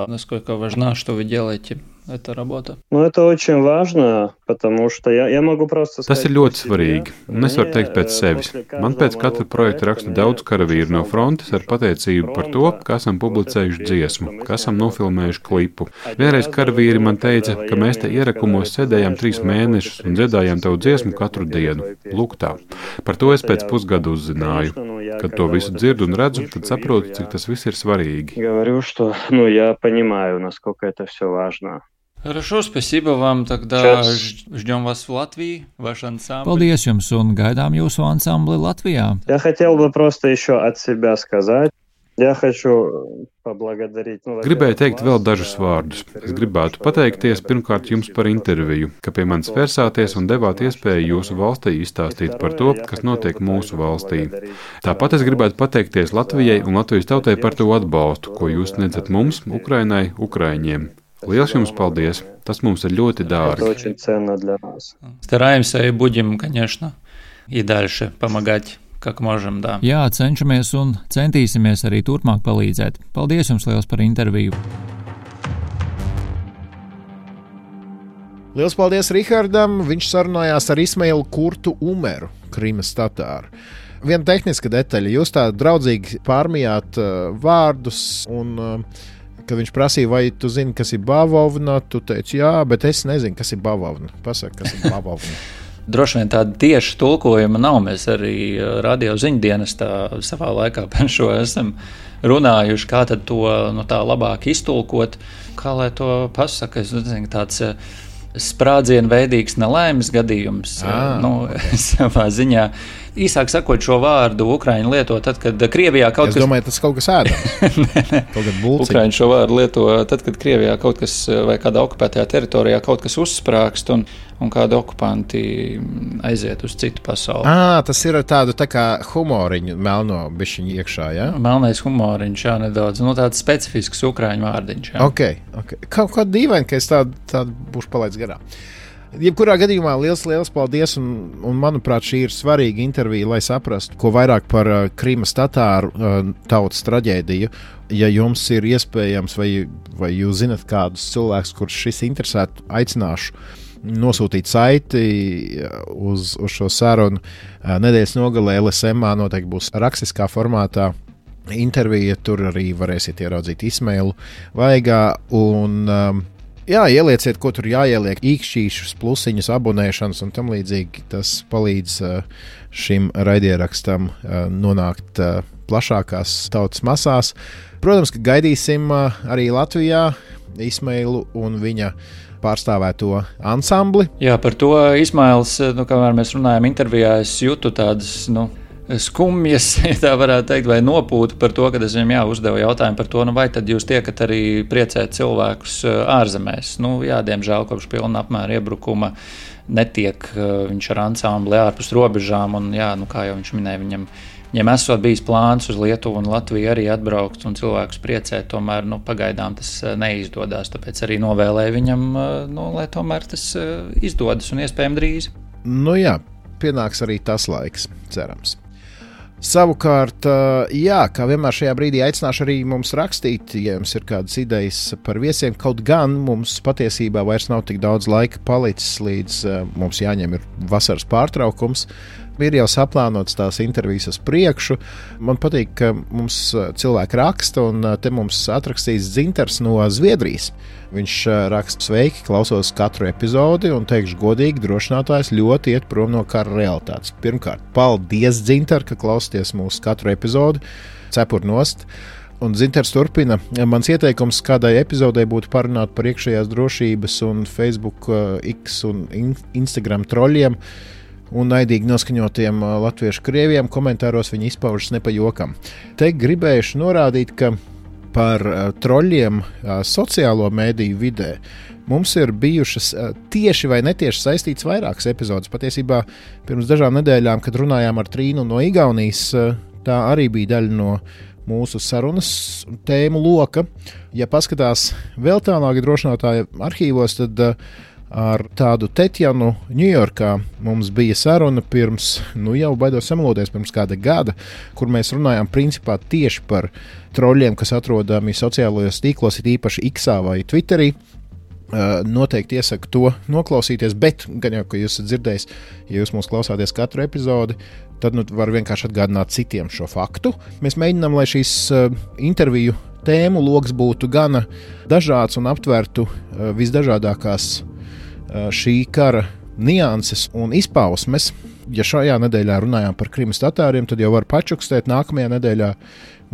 Насколько важна, что вы делаете, эта работа? Ну, это очень важно, потому что я могу просто сказать... Tas ir ļoti svarīgi, un es varu teikt pēc sevis. Man pēc katra projekta raksta daudz karavīru no frontes ar pateicību par to, ka esam publicējuši dziesmu, ka esam nofilmējuši klipu. Vienreiz karavīri man teica, ka mēs te ierakumos sēdējām 3 mēnešus un dziedājām tavu dziesmu katru dienu. Lūk tā. Par to es pēc pusgada uzzināju. Kad to visu dzirdu un redzu, tad saprotu, cik tas viss ir svarīgi. Говорю, что, я понимаю, насколько это все важно. Хорошо, спасибо вам. Тогда ждем вас в Латвии, ваш ансамбль. Paldies jums un gaidām jūsu ansambli Latvijā. Я хотел бы просто еще от себя сказать. Я хочу поблагодарить. Gribēju teikt vēl dažus vārdus. Es gribētu pateikties pirmkārt jums par interviju, ka pie manis vērsāties un devāt iespēju jūsu valstī izstāstīt par to, kas notiek mūsu valstī. Tāpat es gribētu pateikties Latvijai un Latvijas tautai par to atbalstu, ko jūs sniedzat mums, Ukrainai, Ukraiņiem. Liels jums paldies! Tas mums ir ļoti dārgi. Стараемся и будем, конечно, и дальше помогать, как можем, да. Jā, cenšamies un centīsimies arī turpmāk palīdzēt. Paldies jums liels par interviju! Liels paldies Rihardam! Viņš sarunājās ar Ismailu Kurtu Umeru, Krimas tatāru. Viena tehniska detaļa. Jūs tā draudzīgi pārmijāt vārdus un... Kad viņš prasīja, vai tu zini, kas ir bavovna, tu teici, jā, bet es nezinu, kas ir bavovna. Pasaka, kas ir bavovna. Droši vien tāda tieša tulkojuma nav. Mēs arī radio ziņdienestā savā laikā par šo esam runājuši, kā tad to tā labāk iztulkot. Kā lai to pasaka, es nezinu, tāds sprādzienveidīgs nelaimes gadījums. Savā ziņā. Īsāk sakot, šo vārdu Ukraiņi lieto tad, kad Krievijā kaut kas... Es domāju, tas kaut kas ēdams. Kaut kad bulciņi. Ukraiņi šo vārdu lieto tad, kad Krievijā kaut kas vai kādā okupētajā teritorijā kaut kas uzsprāgst un kādi okupanti aiziet uz citu pasauli. Tas ir tādu tā kā humoriņu melno bišķiņu iekšā, jā? Melnais humoriņš, jā, nedaudz. Tāds specifisks Ukraiņu vārdiņš, jā. Ok. Kaut kā dīvaini, ka es tādu būšu palaidis garām. Jebkurā gadījumā liels paldies, un manuprāt, šī ir svarīga intervija, lai saprastu, ko vairāk par Krimas tatāru tautas traģēdiju. Ja jums ir iespējams, vai jūs zinat kādus cilvēkus, kurus šis interesētu, aicināšu nosūtīt saiti uz šo sarunu. Nedēļas nogalē LSM noteikti būs rakstiskā formātā intervija, tur arī varēsiet ieraudzīt Ismailu Vaigā un... Jā, ielieciet, ko tur jāieliek, īkšķīšus, plusiņus, abonēšanas un tam līdzīgi. Tas palīdz šim raidierakstam nonākt plašākās tautas masās. Protams, ka gaidīsim arī Latvijā Ismailu un viņa pārstāvēto ansambli. Jā, par to Ismails, kamēr mēs runājam intervijā, es jūtu tādas, skumjas, ja tā varētu teikt, vai nopūtu par to, kad es viņam uzdevu jautājumu par to, vai tad jūs tiekat arī priecēt cilvēkus ārzemēs. Jā, diemžēl kopš pilna apmēra iebrukuma netiek viņš ar ansambli ārpus robežām, un jā, kā jau viņš minēja, viņam esot bijis plāns uz Lietuvu un Latviju arī atbraukt un cilvēkus priecēt, tomēr, pagaidām tas neizdodas, tāpēc arī novēlēju viņam, lai tomēr tas izdodas un iespējami drīz. Jā, pienāks arī tas laiks, cerams. Savukārt, jā, kā vienmēr šajā brīdī aicināšu arī mums rakstīt, ja jums ir kādas idejas par viesiem. Kaut gan mums patiesībā vairs nav tik daudz laika palicis, līdz mums jāņem ir vasaras pārtraukums. Ir jau saplānotas tās intervijas uz priekšu. Man patīk, ka mums cilvēki raksta, un te mums atrakstīs Dzintars no Zviedrijas. Viņš raksta: sveiki, klausos katru epizodi, un teikšu godīgi, drošinātājs ļoti iet prom no kara realitātes. Pirmkārt, paldies, Dzintar, ka klausties mūsu katru epizodi, cepur nost. Un Dzintars turpina: mans ieteikums kādai epizodei būtu parunāt par iekšējās drošības un Facebook, X un Instagram troļiem un naidīgi noskaņotiem latviešu krieviem. Komentāros viņi izpaužas ne pa jokam. Te gribējuši norādīt, ka par troļiem sociālo mēdīju vidē mums ir bijušas tieši vai netieši saistītas vairākas epizodes. Patiesībā pirms dažām nedēļām, kad runājām ar Trīnu no Igaunijas, tā arī bija daļa no mūsu sarunas tēmu loka. Ja paskatās vēl tālāk drošinātāja arhīvos, tad ar tādu Tetjanu Ņujorkā mums bija saruna pirms, jau baidos sameloties, pirms kāda gada, kur mēs runājām principā tieši par troļiem, kas atrodami sociālajos tīklos, it īpaši X vai Twitterī. Noteikti iesaku to noklausīties, bet gan jau, ka jūs esat dzirdējis, ja jūs mūs klausāties katru epizodi, tad var vienkārši atgādināt citiem šo faktu. Mēs mēģinām, lai šīs interviju tēmu loks būtu gana dažāds un aptvertu visdažādākās šī kara nianses un izpausmes. Ja šajā nedēļā runājām par Krimas tatāriem, tad jau var pačukstēt. Nākamajā nedēļā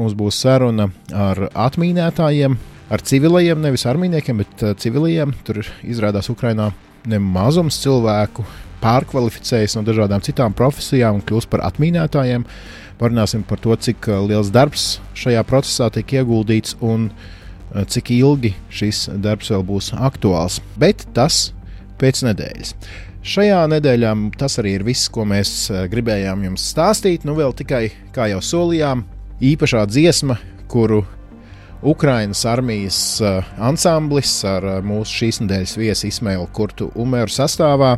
mums būs saruna ar atmīnētājiem, ar civilajiem, nevis armīniekiem, bet civilajiem. Tur izrādās Ukrainā nemazums cilvēku pārkvalificējas no dažādām citām profesijām un kļūst par atmīnētājiem. Parunāsim par to, cik liels darbs šajā procesā tiek ieguldīts un cik ilgi šis darbs vēl būs aktuāls. Bet tas pēc nedēļas. Šajā nedēļā tas arī ir viss, ko mēs gribējām jums stāstīt. Vēl tikai, kā jau solījām, īpašā dziesma, kuru Ukrainas armijas ansamblis ar mūsu šīs nedēļas viesi Ismailu Kurtu Umeru sastāvā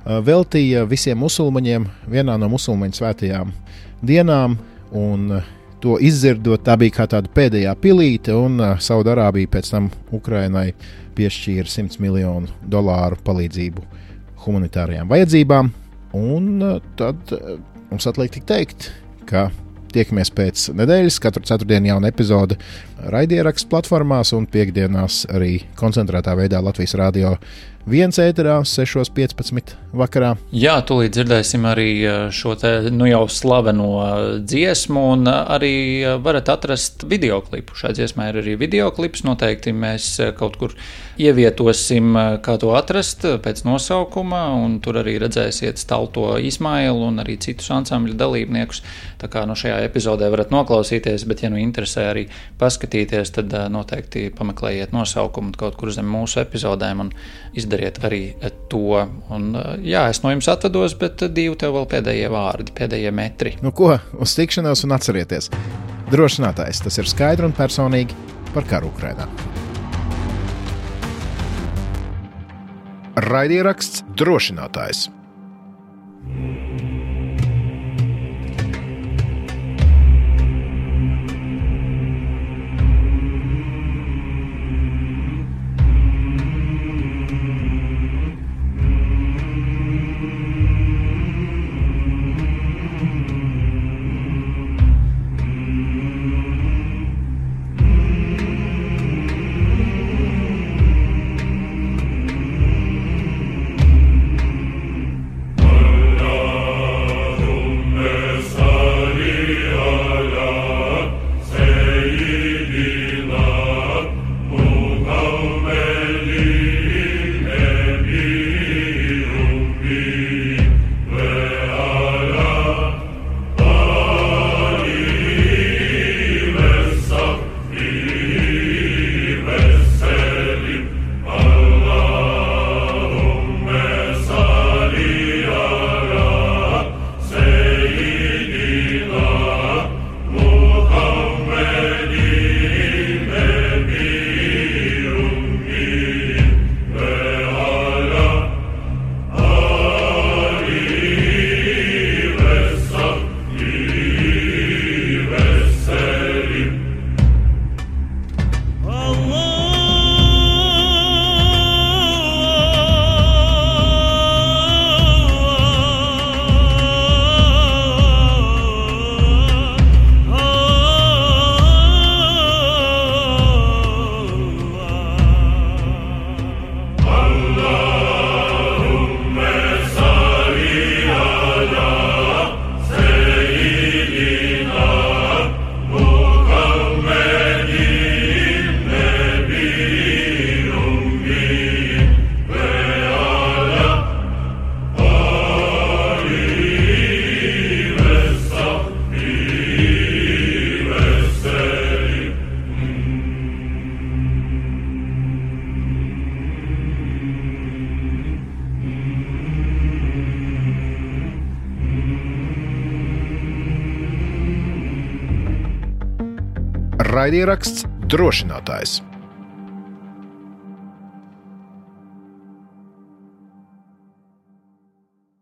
veltīja visiem musulmaņiem vienā no musulmaņu svētajām dienām, un to izdzirdot, tā bija kā tāda pēdējā pilīte, un Saudarābija pēc tam Ukrainai piešķīra $100 miljonu palīdzību humanitārajām vajadzībām. Un tad mums atliek tik teikt, ka tiekamies pēc nedēļas, katru ceturtdienu jauna epizode raidierakstu platformās un piektdienās arī koncentrētā veidā Latvijas Radio 1 ēterā 6:15 vakarā. Jā, tūlīt dzirdēsim arī šo te jau slaveno dziesmu, un arī varat atrast videoklipu. Šai dziesmai ir arī videoklips, noteikti mēs kaut kur ievietosim, kā to atrast pēc nosaukuma, un tur arī redzēsiet Stalto Ismailu un arī citus ansambļu dalībniekus. Tā kā no šajā epizodē varat noklausīties, bet ja interesē arī paskatīties, tad noteikti pameklējiet nosaukumu kaut kur zem mūsu epizodēm un izdariet arī to. Un, jā, es no jums atvados, bet Dīvu, tev vēl pēdējie vārdi, pēdējie metri. Ko? Uz tikšanos un atcerieties. Drošinātājs, tas ir skaidri un personīgi par karu Ukrainā. Raidieraksts Drošinātājs. raidieraksts Drošinātājs.